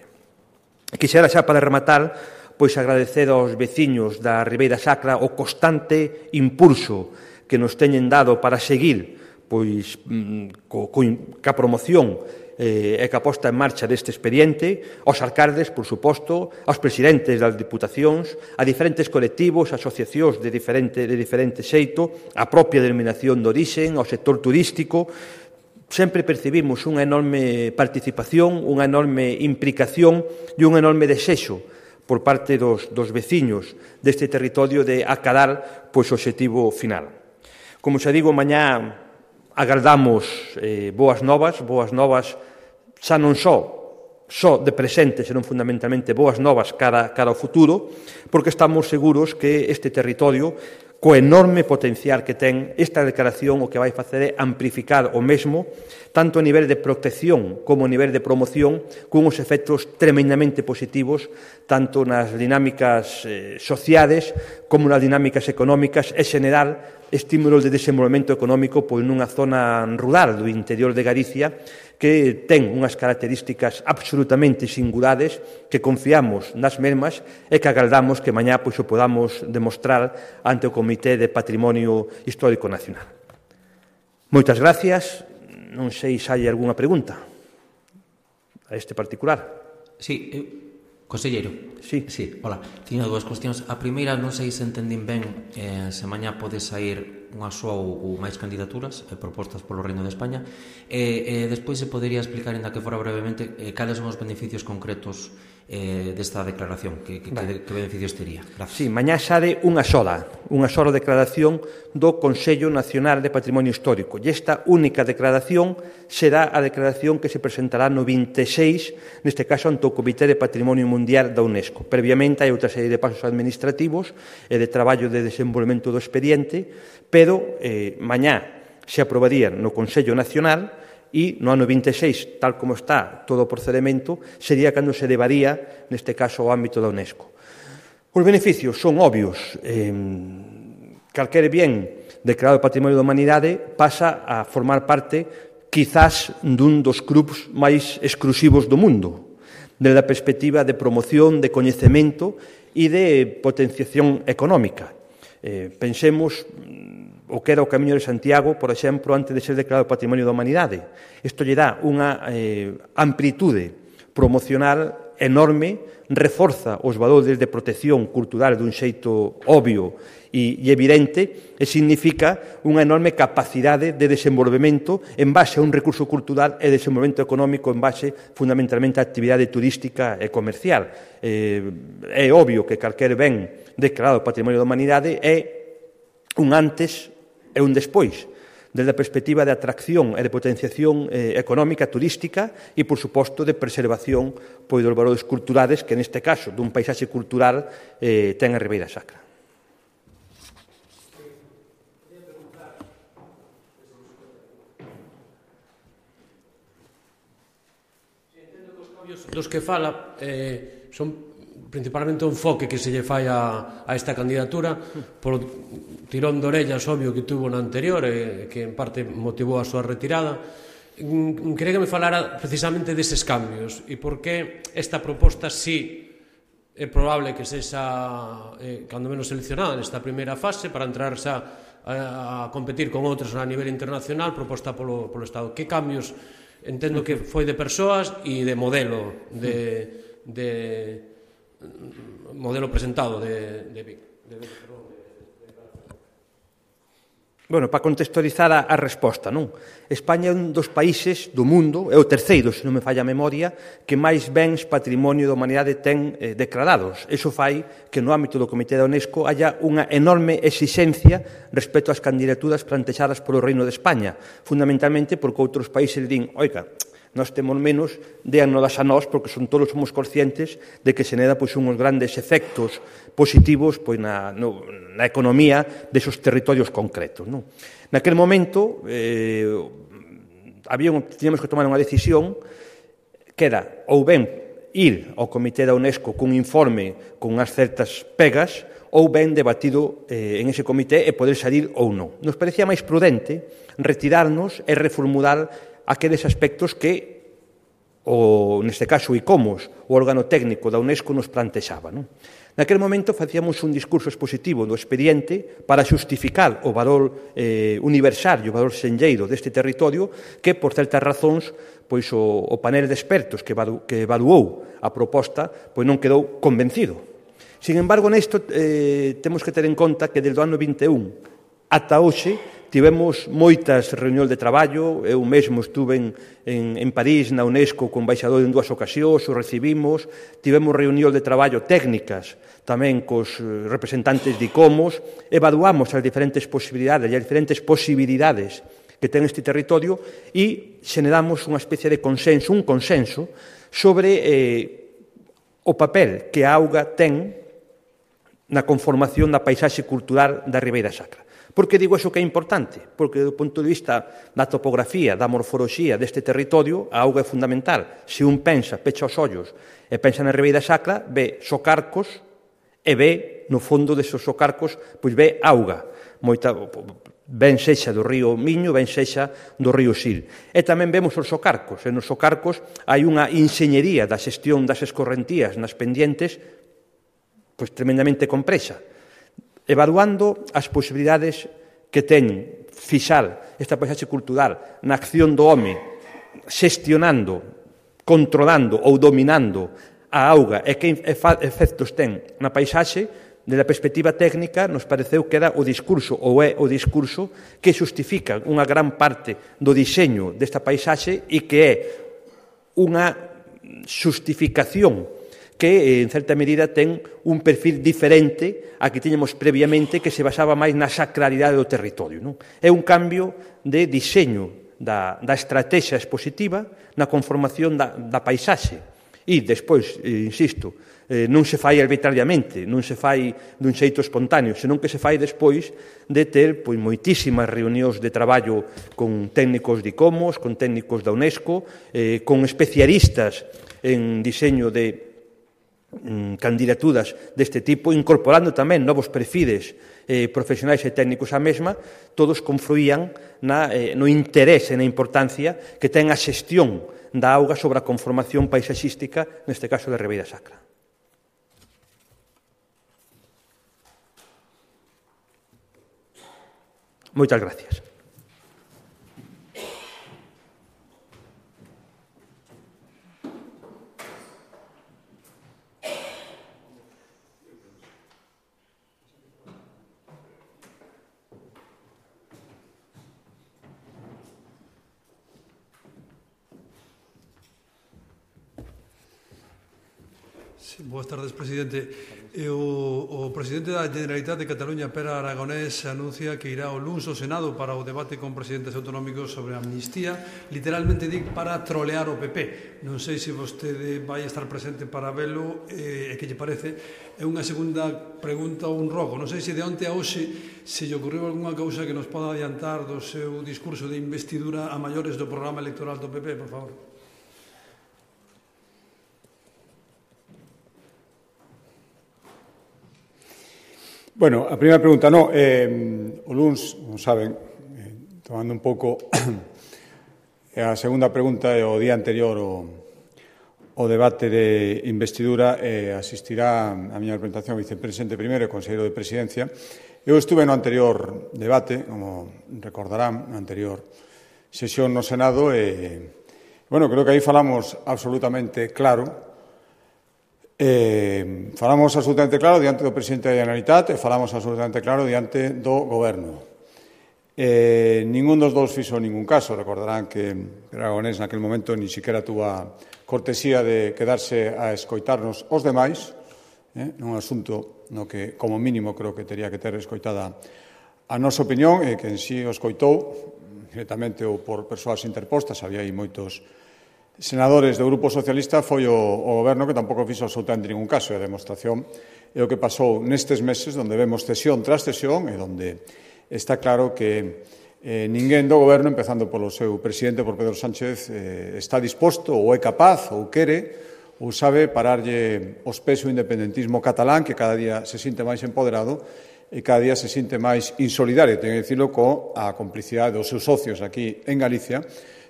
Quixera xa para rematar, pois agradecer aos veciños da Ribeira Sacra o constante impulso que nos teñen dado para seguir pois co, co, ca promoción eh, e que a posta en marcha deste expediente, aos alcaldes, por suposto, aos presidentes das diputacións, a diferentes colectivos, asociacións de diferente, de diferente xeito, a propia denominación de orixen, ao sector turístico. Sempre percibimos unha enorme participación, unha enorme implicación e un enorme desexo por parte dos, dos veciños deste territorio de acadar pois, o obxectivo final. Como xa digo, mañá agardamos eh, boas novas, boas novas xa non só, só de presente, senón fundamentalmente boas novas cara, cara ao futuro, porque estamos seguros que este territorio, co enorme potencial que ten esta declaración, o que vai facer é amplificar o mesmo, tanto a nivel de protección como a nivel de promoción, cunhos efectos tremendamente positivos, tanto nas dinámicas eh, sociales como nas dinámicas económicas e xeneral estímulos de desenvolvemento económico pois nunha zona rural do interior de Galicia que ten unhas características absolutamente singulares que confiamos nas mesmas e que agardamos que mañá pois o podamos demostrar ante o Comité de Patrimonio Histórico Nacional. Moitas gracias. Non sei se hai algunha pregunta a este particular. Sí, eu... Conselleiro. Sí. Sí, hola. Tiño dúas cuestións. A primeira, non sei se entendín ben eh, se mañá pode sair unha soa ou, ou máis candidaturas eh, propostas polo Reino de España e eh, eh, despois se podería explicar, ainda que fora brevemente, eh, cales son os beneficios concretos eh, desta declaración, que, que, vale. que, que beneficios tería. Gracias. Sí, mañá xade unha sola, unha sola declaración do Consello Nacional de Patrimonio Histórico e esta única declaración será a declaración que se presentará no vinte e seis, neste caso ante o Comité de Patrimonio Mundial da UNESCO. Previamente hai outra serie de pasos administrativos e de traballo de desenvolvemento do expediente, pero eh, mañá se aprobarían no Consello Nacional e no ano vinte e seis, tal como está todo o procedimento, sería cando se levaría, neste caso, ao ámbito da UNESCO. Os beneficios son obvios. Eh, calquer bien declarado Patrimonio da Humanidade pasa a formar parte quizás dun dos clubs máis exclusivos do mundo, desde a perspectiva de promoción, de coñecemento e de potenciación económica. Eh, pensemos o que era o Camiño de Santiago, por exemplo, antes de ser declarado Patrimonio da Humanidade. Isto lle dá unha eh, amplitude promocional enorme, reforza os valores de protección cultural dun xeito obvio e, e evidente, e significa unha enorme capacidade de desenvolvemento en base a un recurso cultural e desenvolvemento económico en base fundamentalmente á actividade turística e comercial. Eh, é obvio que calquer ben declarado Patrimonio da Humanidade é un antes e un despois, desde a perspectiva de atracción e de potenciación eh, económica, turística e, por suposto, de preservación pois, dos valores culturales que, neste caso, dun paisaxe cultural eh, ten a Ribeira Sacra. Dos que fala eh, son principalmente o enfoque que se lle fai a, a esta candidatura polo tirón de orellas obvio que tuvo na anterior e que en parte motivou a súa retirada. Quería que me falara precisamente deses cambios e por que esta proposta sí é probable que sexa eh, cando menos seleccionada nesta primeira fase para entrar xa a, a competir con outras a nivel internacional proposta polo, polo Estado. Que cambios entendo que foi de persoas e de modelo de, de modelo presentado de, de Vic. De, de, perdón, de, de... Bueno, para contextualizar a, a resposta, non? España é un dos países do mundo, é o terceiro, se non me falla a memoria, que máis bens patrimonio da humanidade ten eh, declarados. Iso fai que no ámbito do Comité da UNESCO haya unha enorme exixencia respecto ás candidaturas plantexadas polo Reino de España, fundamentalmente porque outros países din, oiga, nós temos menos, déannolas a nós, porque son todos somos conscientes de que se neda pois, unhos grandes efectos positivos pois, na, no, na economía desos territorios concretos. Non? Naquel momento, eh, había un, teníamos que tomar unha decisión que era ou ben ir ao Comité da UNESCO cun informe con unhas certas pegas ou ben debatido eh, en ese comité e poder salir ou non. Nos parecía máis prudente retirarnos e reformular aqueles aspectos que, o, neste caso, o ICOMOS, o órgano técnico da UNESCO, nos plantexaba. Non? Naquele momento facíamos un discurso expositivo do expediente para xustificar o valor eh, universal e o valor senlleiro deste territorio que, por certas razóns, pois o, o panel de expertos que, evalu, que evaluou a proposta pois non quedou convencido. Sin embargo, nesto eh, temos que ter en conta que desde o ano vinte e un ata hoxe tivemos moitas reunións de traballo, eu mesmo estuve en, en, en París, na UNESCO, con embaixador en dúas ocasións, o recibimos, tivemos reunións de traballo técnicas tamén cos representantes de ICOMOS, evaluamos as diferentes posibilidades e as diferentes posibilidades que ten este territorio e xeneramos unha especie de consenso, un consenso sobre eh, o papel que a auga ten na conformación da paisaxe cultural da Ribeira Sacra. Por que digo iso que é importante? Porque, do punto de vista da topografía, da morfoloxía deste territorio, a auga é fundamental. Se un pensa, pecha os ollos, e pensa na Ribeira Sacra, ve socarcos e ve, no fondo desos socarcos, pois ve auga. Moita, ben sexa do río Miño, ben sexa do río Sil. E tamén vemos os socarcos. E nos socarcos hai unha inxeñería da xestión das escorrentías nas pendientes pois tremendamente complexa. Evaluando as posibilidades que ten fixar esta paisaxe cultural na acción do home, xestionando, controlando ou dominando a auga e que efectos ten na paisaxe, desde a perspectiva técnica, nos pareceu que era o discurso, ou é o discurso, que xustifica unha gran parte do diseño desta paisaxe e que é unha xustificación que, en certa medida, ten un perfil diferente a que tiñamos previamente que se basaba máis na sacralidade do territorio. Non? É un cambio de diseño da, da estrategia expositiva na conformación da, da paisaxe. E, despois, eh, insisto, eh, non se fai arbitrariamente, non se fai dun xeito espontáneo, senón que se fai despois de ter pois, moitísimas reunións de traballo con técnicos de ICOMOS, con técnicos da UNESCO, eh, con especialistas en diseño de candidaturas deste tipo, incorporando tamén novos perfiles eh, profesionais e técnicos á mesma, todos confluían na, eh, no interés e na importancia que ten a xestión da auga sobre a conformación paisaxística, neste caso de Ribeira Sacra. Moitas gracias. Sí, boas tardes, presidente. E o, o presidente da Generalitat de Cataluña, Pere Aragonés, anuncia que irá o luns ao Senado para o debate con presidentes autonómicos sobre a amnistía, literalmente dic para trolear o P P. Non sei se vostede vai estar presente para velo e eh, que lle parece. É unha segunda pregunta ou un rogo. Non sei se de onte a hoxe se lle ocorreu algunha cousa que nos poda adiantar do seu discurso de investidura a maiores do programa electoral do P P, por favor. Bueno, a primeira pregunta, no, eh, o luns, como saben, eh, tomando un pouco a segunda pregunta é o día anterior o, o debate de investidura eh, asistirá a miña representación vicepresidente primeiro e conselleiro de Presidencia. Eu estuve no anterior debate, como recordarán, na anterior sesión no Senado e, bueno, creo que aí falamos absolutamente claro. Eh, falamos absolutamente claro diante do presidente da Generalitat e falamos absolutamente claro diante do Goberno. Eh, ningún dos dous fixo ningún caso. Recordarán que Aragonés naquele momento ni siquiera tuvo a cortesía de quedarse a escoitarnos os demais, eh, nun asunto no que, como mínimo, creo que teria que ter escoitada a nosa opinión e que en sí o escoitou directamente ou por persoas interpostas. Había aí moitos senadores do Grupo Socialista, foi o, o Goberno que tampouco fixo absolutamente ningún caso. E a demostración é o que pasou nestes meses, onde vemos cesión tras cesión e onde está claro que eh, ninguén do Goberno, empezando polo seu presidente, por Pedro Sánchez, eh, está disposto ou é capaz ou quere ou sabe pararlle os pés o independentismo catalán, que cada día se sinte máis empoderado e cada día se sinte máis insolidario, teño que dicilo, coa complicidade dos seus socios aquí en Galicia,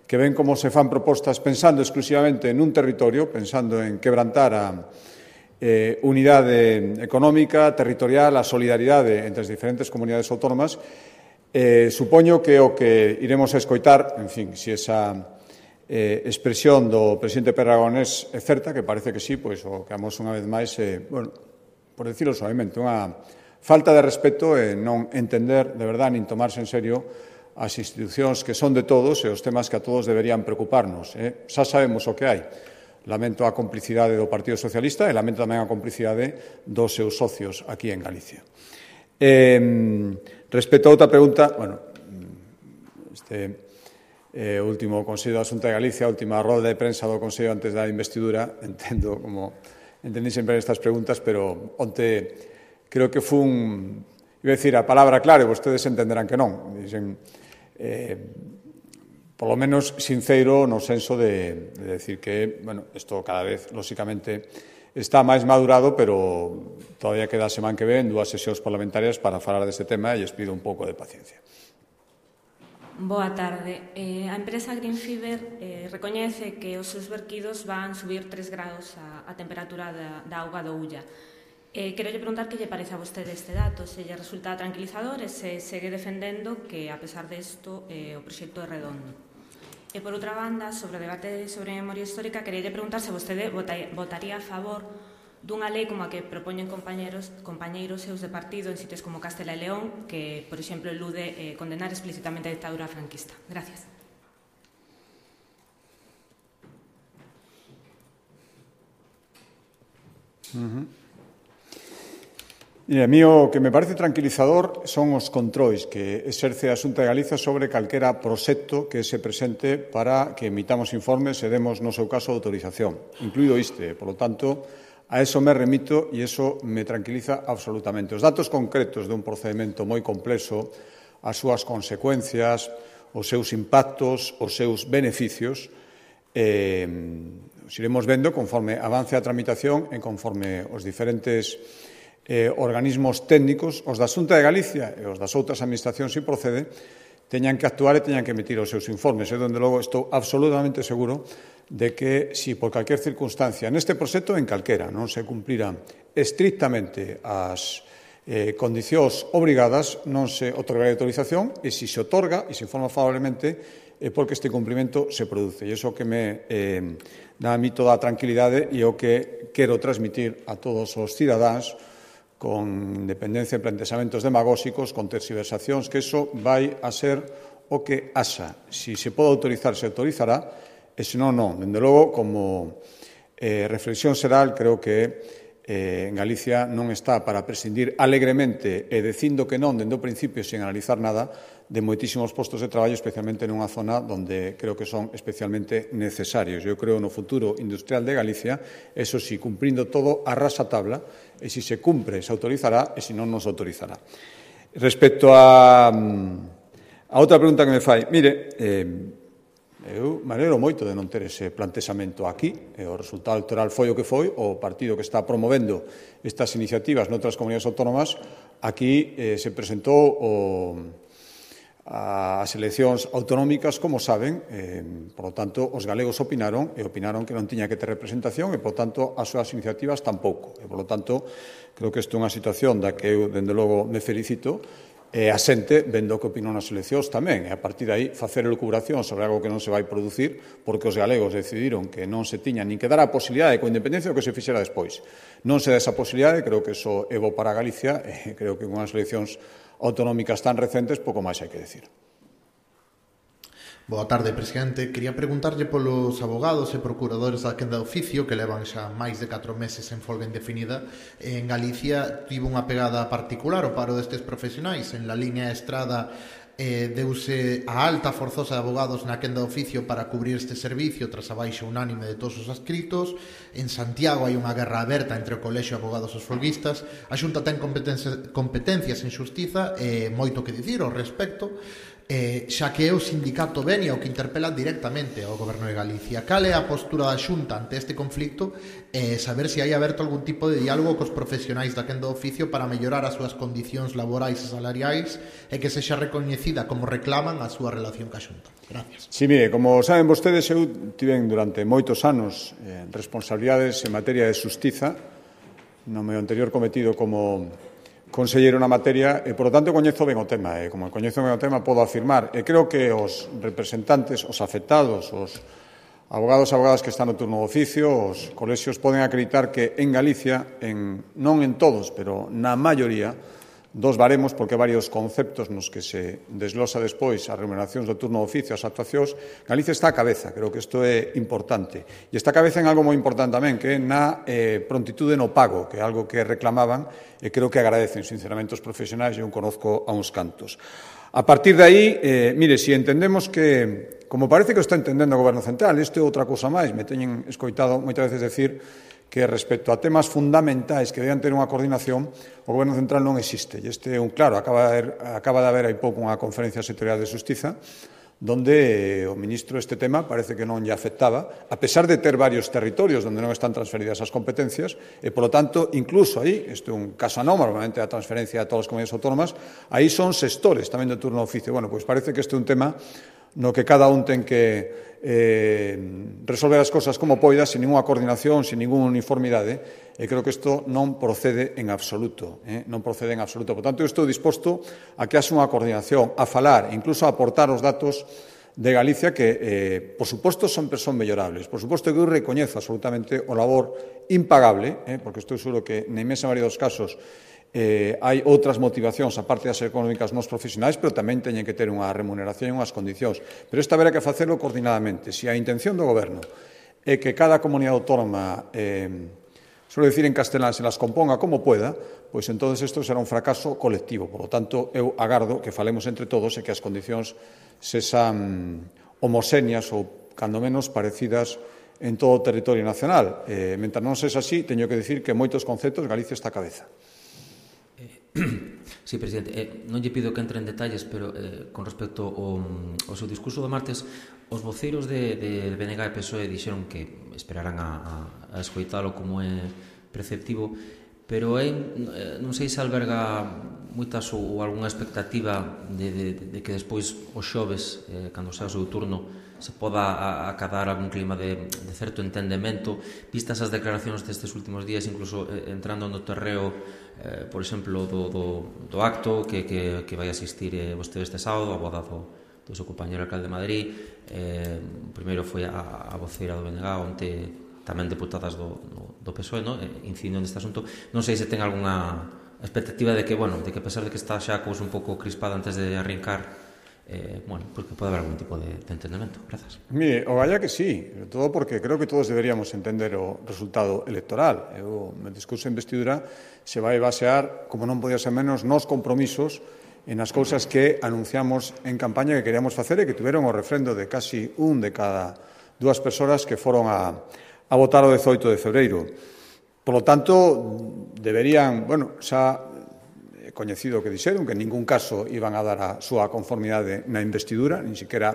que ven como se fan propostas pensando exclusivamente nun territorio, pensando en quebrantar a eh, unidade económica, territorial, a solidaridade entre as diferentes comunidades autónomas. Eh, supoño que o que iremos a escoitar, en fin, se esa eh, expresión do presidente Pere Aragonés é certa, que parece que sí, pois o que vamos unha vez máis, eh, bueno, por decirlo suavemente, unha falta de respeto e non entender de verdade nin tomarse en serio as institucións que son de todos e os temas que a todos deberían preocuparnos. Eh? Xa sabemos o que hai. Lamento a complicidade do Partido Socialista e lamento tamén a complicidade dos seus socios aquí en Galicia. Eh, respecto a outra pregunta, bueno, este eh, último Consello da Xunta de Galicia, a última rolda de prensa do Consello antes da investidura, entendo como entendí sempre estas preguntas, pero onte creo que fun, iba a decir a palabra clave, vostedes entenderán que non. Dicen, eh, polo menos sinceiro no senso de, de decir que, bueno, isto cada vez, lóxicamente, está máis madurado, pero todavía queda a semana que ven dúas sesións parlamentarias para falar deste tema e lles pido un pouco de paciencia. Boa tarde. Eh, a empresa Greenfiber eh, recoñece que os seus verquidos van subir tres grados a, a temperatura da, da auga do Ulla. Eh, quero lle preguntar que lle parece a vostede este dato, se lle resulta tranquilizador e se segue defendendo que, a pesar desto, eh, o proxecto é redondo. E, por outra banda, sobre o debate sobre memoria histórica, quería lle preguntar se vostede votaría a favor dunha lei como a que propoñen compañeros, compañeiros seus de partido en sitios como Castela e León, que, por exemplo, elude eh, condenar explícitamente a dictadura franquista. Gracias. Uh-huh. E a mí o que me parece tranquilizador son os controis que exerce a Xunta de Galicia sobre calquera proxecto que se presente para que emitamos informes e demos, no seu caso, autorización, incluído este. Por lo tanto, a eso me remito e eso me tranquiliza absolutamente. Os datos concretos de un procedimento moi complexo, as súas consecuencias, os seus impactos, os seus beneficios, eh, os iremos vendo conforme avance a tramitación e conforme os diferentes eh, organismos técnicos, os da Xunta de Galicia e os das outras administracións, se procede, teñan que actuar e teñan que emitir os seus informes. E, donde logo, estou absolutamente seguro de que, si por calquer circunstancia neste proxecto, en calquera, non se cumpriran estrictamente as eh, condicións obrigadas, non se otorgará autorización, e se se otorga e se informa favorablemente é porque este cumprimento se produce. E iso que me eh, dá a mí toda a tranquilidade e o que quero transmitir a todos os cidadáns, con independencia de plantexamentos demagóxicos, con tergiversacións, que iso vai a ser o que haxa. Si se pode autorizar, se autorizará, e se non, non. Dende logo, como eh, reflexión xeral, creo que eh, en Galicia non está para prescindir alegremente e dicindo que non, dende o principio, sin analizar nada, de moitísimos postos de traballo, especialmente nunha zona onde creo que son especialmente necesarios. Eu creo no futuro industrial de Galicia, eso sí, cumprindo todo a rasa tabla, e se se cumpre, se autorizará, e se non, non se autorizará. Respecto a, a outra pregunta que me fai, mire, eh, eu me alegro moito de non ter ese plantexamento aquí, e o resultado electoral foi o que foi, o partido que está promovendo estas iniciativas noutras comunidades autónomas, aquí eh, se presentou o as eleccións autonómicas, como saben, eh, por lo tanto, os galegos opinaron e opinaron que non tiña que ter representación e, por lo tanto, as súas iniciativas tampouco. E, por lo tanto, creo que isto é unha situación da que eu, dende logo, me felicito e a xente, vendo que opinou nas eleccións tamén, e a partir de aí facer elucubración sobre algo que non se vai producir porque os galegos decidiron que non se tiña nin que dar a posibilidade, con independencia do que se fixera despois. Non se dá esa posibilidade, creo que iso é bo para Galicia e creo que con as eleccións autonómicas tan recentes, pouco máis hai que decir. Boa tarde, presidente. Quería preguntarlle polos abogados e procuradores da quenda de oficio que levan xa máis de catro meses en folga indefinida. En Galicia tivo unha pegada particular o paro destes profesionais. En la línea Estrada eh, deuse a alta forzosa de abogados na quenda de oficio para cubrir este servicio tras a baixa unánime de todos os adscritos. En Santiago hai unha guerra aberta entre o Colexio de Abogados e os folguistas. A Xunta ten competencias, competencias en xustiza e moito que dicir ao respecto. Eh, xa que é o sindicato Venia o que interpela directamente ao Goberno de Galicia. Cal é a postura da Xunta ante este conflicto e eh, saber se hai aberto algún tipo de diálogo cos profesionais da quenda de oficio para mellorar as súas condicións laborais e salariais e que sexa recoñecida como reclaman a súa relación ca Xunta. Gracias. Sí, mire, como saben vostedes, eu tiven durante moitos anos eh, responsabilidades en materia de xustiza no meu anterior cometido como conselleiro na materia e, por lo tanto, coñezo ben o tema. E, como coñezo ben o tema, podo afirmar. E creo que os representantes, os afectados, os abogados e abogadas que están no turno de oficio, os colexios, poden acreditar que en Galicia, en, non en todos, pero na maioría, dos baremos, porque varios conceptos nos que se desglosa despois as remuneracións do turno de oficio, as actuacións, Galicia está a cabeza, creo que isto é importante. E está a cabeza en algo moi importante tamén, que é na eh, prontitude no pago, que é algo que reclamaban e creo que agradecen sinceramente os profesionais, e eu conozco a uns cantos. A partir de aí, eh, mire, se si entendemos que, como parece que o está entendendo o Goberno Central, isto é outra cousa máis, me teñen escoitado moitas veces decir que respecto a temas fundamentais que deben ter unha coordinación, o Goberno Central non existe. E este é un claro, acaba de haber, acaba de haber hai pouco unha conferencia sectorial de Xustiza, donde o ministro este tema parece que non lle afectaba, a pesar de ter varios territorios onde non están transferidas as competencias, e, polo tanto, incluso aí, isto é un caso anómalo, normalmente a transferencia a todas as comunidades autónomas, aí son sextores tamén do turno de oficio. Bueno, pois parece que este é un tema no que cada un ten que eh, resolver as cosas como poida, sin ninguna coordinación, sin ninguna uniformidade, e creo que isto non procede en absoluto, eh? non procede en absoluto. Por tanto, eu estou disposto a que haxa unha coordinación, a falar, incluso a aportar os datos de Galicia que, eh, por suposto, sempre son mellorables. Por suposto que eu recoñezo absolutamente o labor impagable, eh? porque estou seguro que na inmensa maioría dos casos Eh, hai outras motivacións, aparte das económicas, nos profesionais, pero tamén teñen que ter unha remuneración e unhas condicións. Pero isto haberá que facelo coordinadamente. Se a intención do Goberno é que cada comunidade autónoma, eh, suelo decir en castelán, se las componga como pueda, pois entonces isto será un fracaso colectivo. Por lo tanto, eu agardo que falemos entre todos e que as condicións sexan homoxéneas ou, cando menos, parecidas en todo o territorio nacional. Eh, mentre non sexa así, teño que dicir que en moitos conceptos Galicia está a cabeza. Sí, presidente, eh, non lle pido que entre en detalles, pero eh, con respecto ao, ao seu discurso do martes, os voceiros de, de B N G e P S O E dixeron que esperarán a, a, a escoitalo como é preceptivo, pero é, non sei se alberga moitas ou algunha expectativa de, de, de que despois os xoves, eh, cando sea o seu turno, se poda acadar algún clima de, de certo entendemento, vistas as declaracións destes últimos días, incluso eh, entrando no terreo, eh, por exemplo, do, do, do acto que, que, que vai asistir eh, vostede este sábado, a boda do, do seu compañero alcalde de Madrid. Eh, primeiro foi a, a voceira do B N G, onte tamén deputadas do, do, do P S O E, no? eh, incidindo neste asunto. Non sei se ten algunha expectativa de que, bueno, de que a pesar de que está xa a cousa un pouco crispada antes de arrincar, Eh, bueno, porque pode haber algún tipo de, de entendemento. Grazas. Mire, o vaya que sí, sobre todo porque creo que todos deberíamos entender o resultado electoral. O meu discurso de investidura se vai basear, como non podía ser menos, nos compromisos en as cousas que anunciamos en campaña que queríamos facer e que tiveron o refrendo de casi un de cada dúas persoas que foron a, a votar o dezoito de febreiro. Por lo tanto, deberían, bueno, xa coñecido que dixeron que en ningún caso iban a dar a súa conformidade na investidura, nin siquiera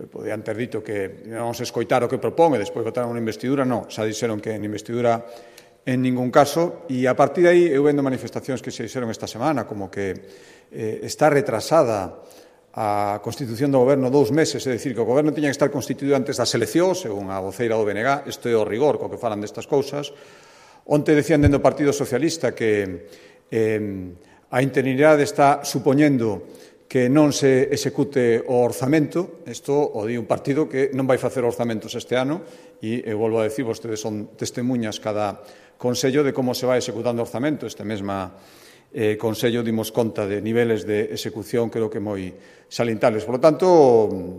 podían ter dito que íbamos a escoitar o que propón e despois votar unha investidura, non, xa dixeron que en investidura en ningún caso, e a partir de aí eu vendo manifestacións que se dixeron esta semana, como que eh, está retrasada a constitución do goberno dous meses, é dicir, que o goberno tiña que estar constituído antes das eleccións, según a voceira do B N G, isto é o rigor co que falan destas cousas. Onte decían dentro do Partido Socialista que Eh, a interinidade está supoñendo que non se execute o orzamento. Isto o di un partido que non vai facer orzamentos este ano e, eu volvo a decir, vostedes son testemunhas cada consello de como se vai executando o orzamento. Este mesma eh, consello dimos conta de niveles de execución creo que moi salientables. Por lo tanto,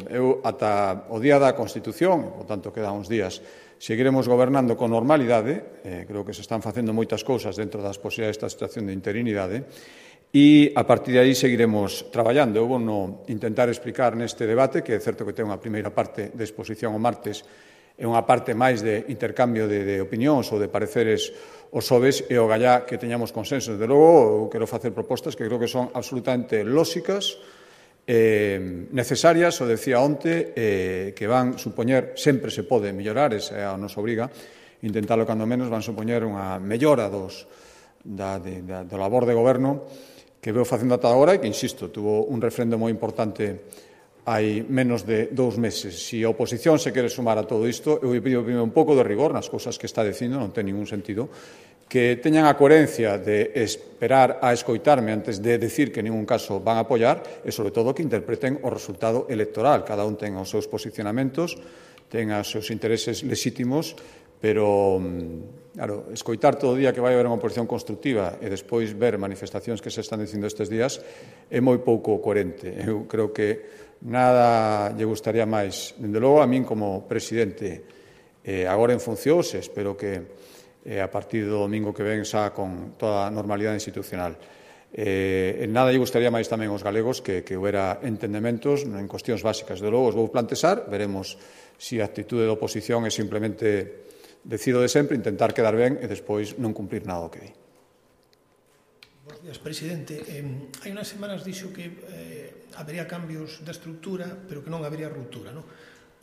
eu ata o día da Constitución, por tanto quedan uns días, seguiremos gobernando con normalidade, eh, creo que se están facendo moitas cousas dentro das posibilidades desta situación de interinidade, e a partir de aí seguiremos traballando. Eu vou no intentar explicar neste debate, que é certo que ten unha primeira parte de exposición o martes e unha parte máis de intercambio de, de opinións ou de pareceres os xoves, e o gallá que teñamos consensos. De logo, eu quero facer propostas que creo que son absolutamente lóxicas, Eh, necesarias, o decía onte, eh, que van supoñer, sempre se pode mellorar, esa nos obriga, intentalo cando menos, van supoñer unha mellora dos, da, de, da, do labor de goberno que veo facendo ata agora e que, insisto, tuvo un refrendo moi importante hai menos de dous meses. Se a oposición se quere sumar a todo isto, eu pido primeiro un pouco de rigor nas cousas que está dicindo, non ten ningún sentido, que teñan a coherencia de esperar a escoitarme antes de decir que en ningún caso van a apoiar e, sobre todo, que interpreten o resultado electoral. Cada un ten os seus posicionamentos, ten os seus intereses legítimos, pero, claro, escoitar todo o día que vai haber unha oposición constructiva e despois ver manifestacións que se están dicindo estes días é moi pouco coherente. Eu creo que nada lle gustaría máis, dende logo, a min como presidente, eh, agora en funcións, espero que eh, a partir do domingo que ven xa con toda a normalidade institucional. Eh, en nada lle gustaría máis tamén aos galegos que, que houbera entendementos en cuestións básicas. De logo, os vou plantexar, veremos se a actitude da oposición é simplemente decido de sempre, intentar quedar ben e despois non cumprir nada o que di. Bos días, presidente. Eh, hai unhas semanas dixo que eh, habería cambios da estrutura, pero que non habería ruptura, non?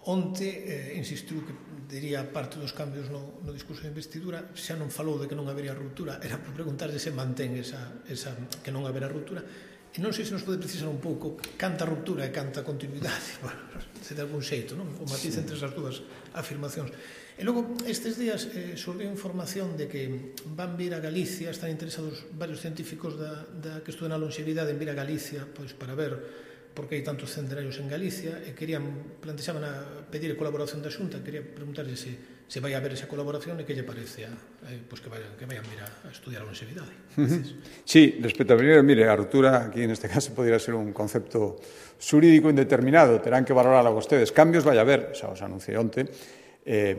Onte eh, insistiu que diría parte dos cambios no, no discurso de investidura, xa non falou de que non habería ruptura, era por preguntarse se mantén esa, esa, que non haberá ruptura, e non sei se nos pode precisar un pouco canta ruptura e canta continuidade, bueno, se de algún xeito, non? O matiz entre esas dúas afirmacións. E logo, estes días eh, xurdiu información de que van vir a Galicia, están interesados varios científicos da, da que estudan a longevidade en vir a Galicia, pois para ver porque hai tantos centenarios en Galicia, e querían, plantexaban a pedir a colaboración da Xunta, quería preguntarlle se, se vai haber esa colaboración e que lle parece a, eh, pues que, vayan, que vayan vir a, a estudiar a longevidade. Uh-huh. Sí, respecto a primeiro, mire, a ruptura aquí neste caso podría ser un concepto xurídico indeterminado, terán que valorarlo vostedes. Cambios vai haber, xa os anunciei onte, eh,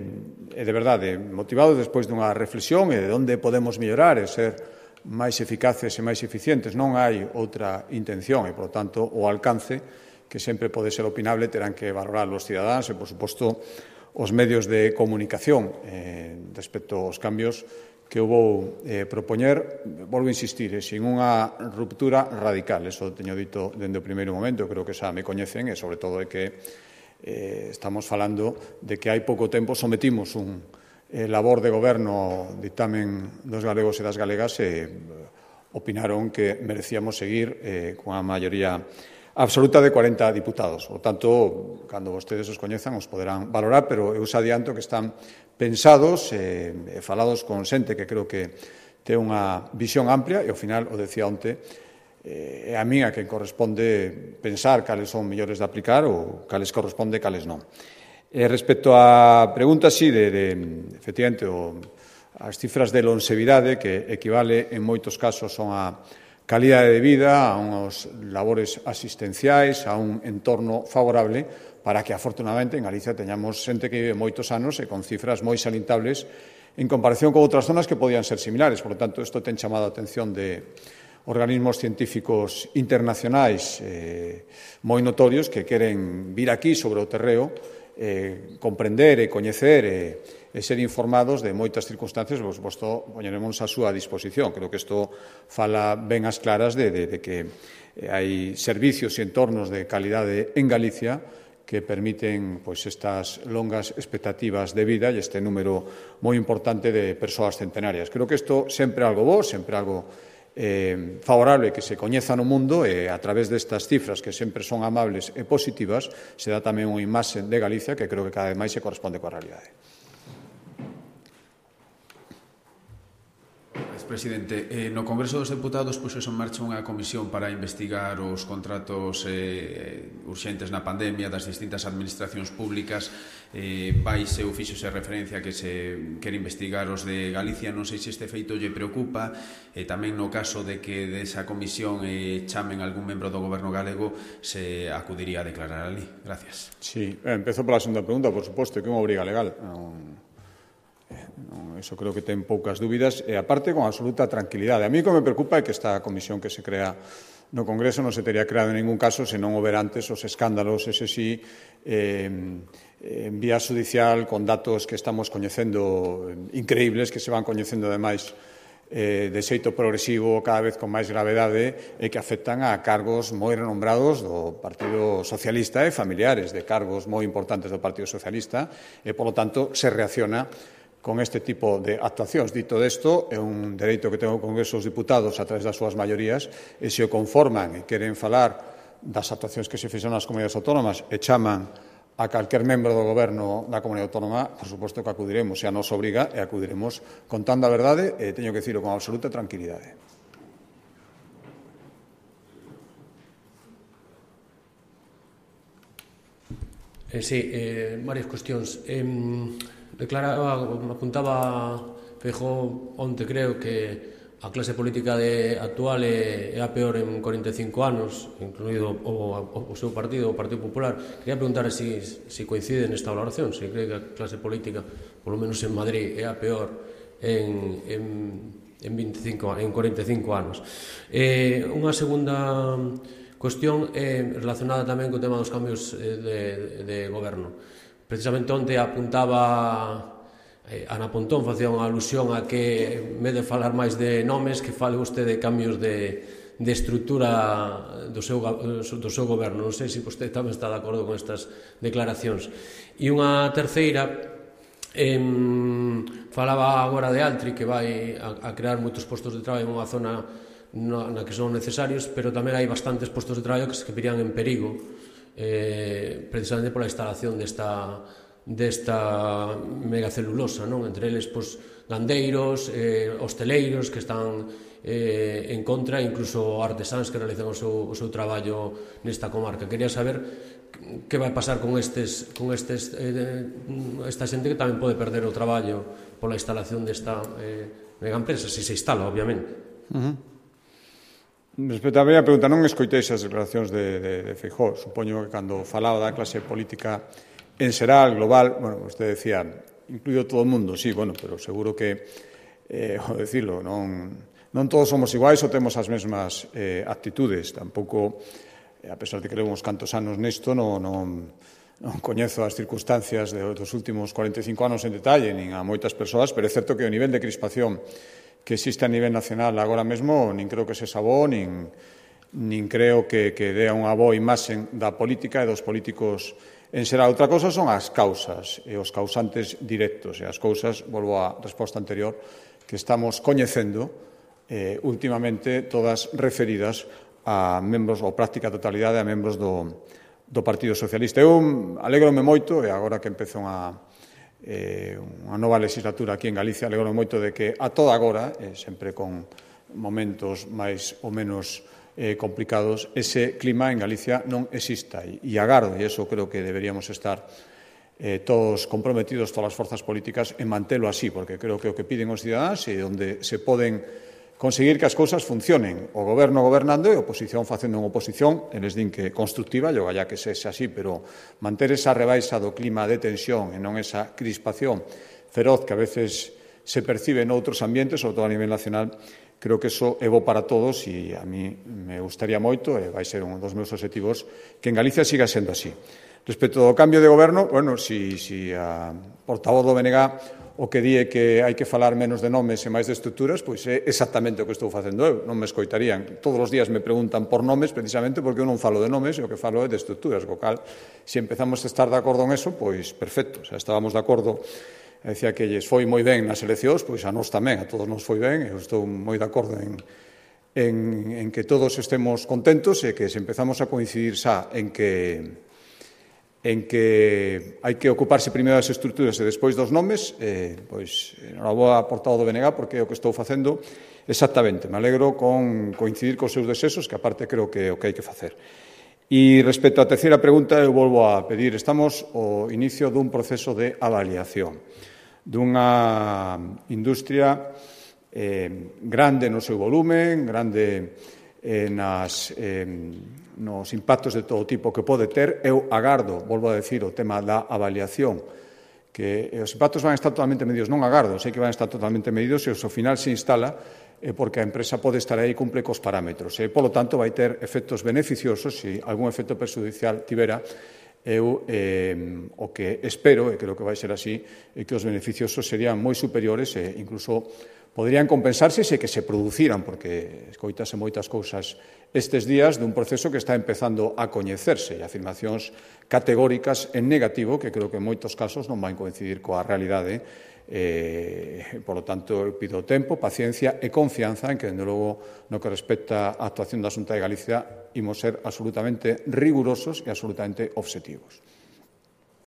e de verdade, motivados despois dunha reflexión e de onde podemos mellorar e ser máis eficaces e máis eficientes. Non hai outra intención e, por tanto, o alcance, que sempre pode ser opinable, terán que valorar os cidadáns e, por suposto, os medios de comunicación eh, respecto aos cambios que eu vou eh, propoñer, volvo a insistir, eh, sin unha ruptura radical. Eso teño dito dende o primeiro momento, creo que xa me coñecen, e sobre todo é que eh, estamos falando de que hai pouco tempo sometimos un eh, labor de goberno ao dictamen dos galegos e das galegas e eh, opinaron que merecíamos seguir eh, con a maioría absoluta de cuarenta diputados. Por tanto, cando vostedes os coñezan, os poderán valorar, pero eu xa adianto que están pensados e eh, falados con xente que creo que ten unha visión amplia e, ao final, o decía onte, eh, é a mí a que corresponde pensar cales son mellores de aplicar ou cales corresponde, cales non. E respecto á pregunta, sí, de, de efectivamente, o, as cifras de longevidade, que equivale en moitos casos son a calidade de vida, a unhos labores asistenciais, a un entorno favorable para que, afortunadamente, en Galicia teñamos xente que vive moitos anos e con cifras moi salientables en comparación con outras zonas que podían ser similares. Por lo tanto, isto ten chamado a atención de organismos científicos internacionais eh, moi notorios que queren vir aquí sobre o terreo, eh, comprender e coñecer e e ser informados de moitas circunstancias, vos, vos to, poñeremos a súa disposición. Creo que isto fala ben as claras de, de, de que hai servicios e entornos de calidade en Galicia que permiten pois, estas longas expectativas de vida e este número moi importante de persoas centenarias. Creo que isto sempre é algo bo, sempre é algo eh, favorable que se coñeza no mundo e a través destas cifras que sempre son amables e positivas se dá tamén unha imaxe de Galicia que creo que cada vez máis se corresponde coa realidade. Presidente, eh, no Congreso dos Deputados puxo en marcha unha comisión para investigar os contratos eh, urxentes na pandemia das distintas administracións públicas. Eh, vaise ou fíxose referencia que se quere investigar os de Galicia. Non sei se este feito lle preocupa, e tamén no caso de que desa comisión eh, chamen algún membro do goberno galego, se acudiría a declarar ali. Gracias. Sí, eh, empezo pola segunda pregunta, por suposto, que é unha obriga legal. Non... Eso creo que ten poucas dúbidas e, aparte, con absoluta tranquilidade. A mí o que me preocupa é que esta comisión que se crea no Congreso non se teria creado en ningún caso se non houber antes os escándalos, ese sí, eh, en vía judicial, con datos que estamos coñecendo increíbles, que se van coñecendo, ademais, eh, de xeito progresivo, cada vez con máis gravedade, e que afectan a cargos moi renombrados do Partido Socialista e familiares de cargos moi importantes do Partido Socialista, e, polo tanto, se reacciona con este tipo de actuacións. Dito desto, é un dereito que ten o Congreso dos Diputados a través das súas maiorías, e se o conforman e queren falar das actuacións que se fixeron nas comunidades autónomas e chaman a calquer membro do goberno da comunidade autónoma, por suposto que acudiremos, e a nos obriga, e acudiremos contando a verdade, e teño que dicirlo con absoluta tranquilidade. Eh, sí, eh, varias cuestións. Eh, declaraba, apuntaba Feijóo onte, creo, que a clase política de, actual é, é a peor en corenta e cinco anos, incluído o, o, o seu partido, o Partido Popular. Quería preguntar se si, si coincide nesta valoración, se si cree que a clase política, polo menos en Madrid, é a peor en, en, en, veinticinco, en corenta e cinco anos. Eh, unha segunda cuestión é relacionada tamén co tema dos cambios de, de goberno. Precisamente onte apuntaba eh, Ana Pontón, facía unha alusión a que, en vez de falar máis de nomes, que fale vostede de cambios de, de estrutura do seu, do seu goberno. Non sei se vostede tamén está de acordo con estas declaracións. E unha terceira, eh, falaba agora de Altri, que vai a, a crear moitos postos de traballo en unha zona na que son necesarios, pero tamén hai bastantes postos de traballo que se virían en perigo, eh, precisamente pola instalación desta, desta megacelulosa, non? Entre eles, pois, gandeiros, eh, hosteleiros que están eh, en contra, incluso artesáns que realizan o seu, o seu traballo nesta comarca. Quería saber que vai pasar con estes, con estes eh, esta xente que tamén pode perder o traballo pola instalación desta eh, megaempresa, se se instala, obviamente. Uh-huh. Respecto á primeira pregunta, non escoitei esas declaracións de, de, de Feijóo. Supoño que cando falaba da clase política en xeral, global, bueno, usted decía, incluído todo o mundo, sí, bueno, pero seguro que, eh, ao decirlo, non, non todos somos iguais ou temos as mesmas eh, actitudes. Tampouco, eh, a pesar de que levamos cantos anos nesto, non, non, non coñezo as circunstancias de, dos últimos cuarenta e cinco anos en detalle, nin a moitas persoas, pero é certo que o nivel de crispación que existe a nivel nacional agora mesmo nin creo que se sabó, nin, nin creo que, que dea unha boa imaxe da política e dos políticos en xeral. Outra cousa son as causas e os causantes directos e as cousas, volvo á resposta anterior, que estamos coñecendo eh, últimamente todas referidas a membros, ou práctica totalidade a membros do, do Partido Socialista. Eu alegrome moito, e agora que empeza unha, eh, unha nova legislatura aquí en Galicia, alegrome moito de que a toda agora, eh, sempre con momentos máis ou menos eh, complicados, ese clima en Galicia non exista. E, e agardo, e iso creo que deberíamos estar eh, todos comprometidos, todas as forzas políticas, en mantelo así, porque creo que o que piden os cidadáns e onde se poden conseguir que as cousas funcionen. O goberno gobernando e a oposición facendo unha oposición, eles din que constructiva, yo galla que sexa así, pero manter esa rebaixa do clima de tensión e non esa crispación feroz que a veces se percibe noutros ambientes, sobre todo a nivel nacional, creo que eso é bo para todos e a mí me gustaría moito, e vai ser un dos meus obxectivos, que en Galicia siga sendo así. Respecto ao cambio de goberno, bueno, si, si a portavoz do B N G o que di é que hai que falar menos de nomes e máis de estruturas, pois é exactamente o que estou facendo eu. Non me escoitarían. Todos os días me preguntan por nomes, precisamente porque eu non falo de nomes e o que falo é de estruturas. Co cal, se empezamos a estar de acordo en eso, pois perfecto. O sea, estábamos de acordo, decía que lles foi moi ben nas eleccións, pois a nós tamén, a todos nos foi ben, eu estou moi de acordo en, en, en que todos estemos contentos e que se empezamos a coincidir xa en que en que hai que ocuparse primeiro das estruturas e despois dos nomes, eh, pois, enhoraboa portado do B N G, porque é o que estou facendo exactamente. Me alegro con coincidir cos seus desesos, que aparte creo que é o que hai que facer. E respecto á terceira pregunta, eu volvo a pedir, estamos ao inicio dun proceso de avaliación dunha industria eh, grande no seu volumen, grande eh, nas... Eh, nos impactos de todo tipo que pode ter. Eu agardo, volvo a decir, o tema da avaliación, que os impactos van a estar totalmente medidos, non agardo, sei que van a estar totalmente medidos e ao final se instala é porque a empresa pode estar aí e cumple cos parámetros. E, polo tanto, vai ter efectos beneficiosos, se algún efecto perjudicial tivera, eu eh, o que espero, e creo que vai ser así, é que os beneficiosos serían moi superiores e incluso poderían compensarse se que se produciran, porque escoitase moitas cousas estes días dun proceso que está empezando a coñecerse e afirmacións categóricas en negativo que creo que en moitos casos non van coincidir coa realidade. Eh, por lo tanto, eu pido tempo, paciencia e confianza en que, dende logo, no que respecta á actuación da Xunta de Galicia, imos ser absolutamente rigurosos e absolutamente obxectivos.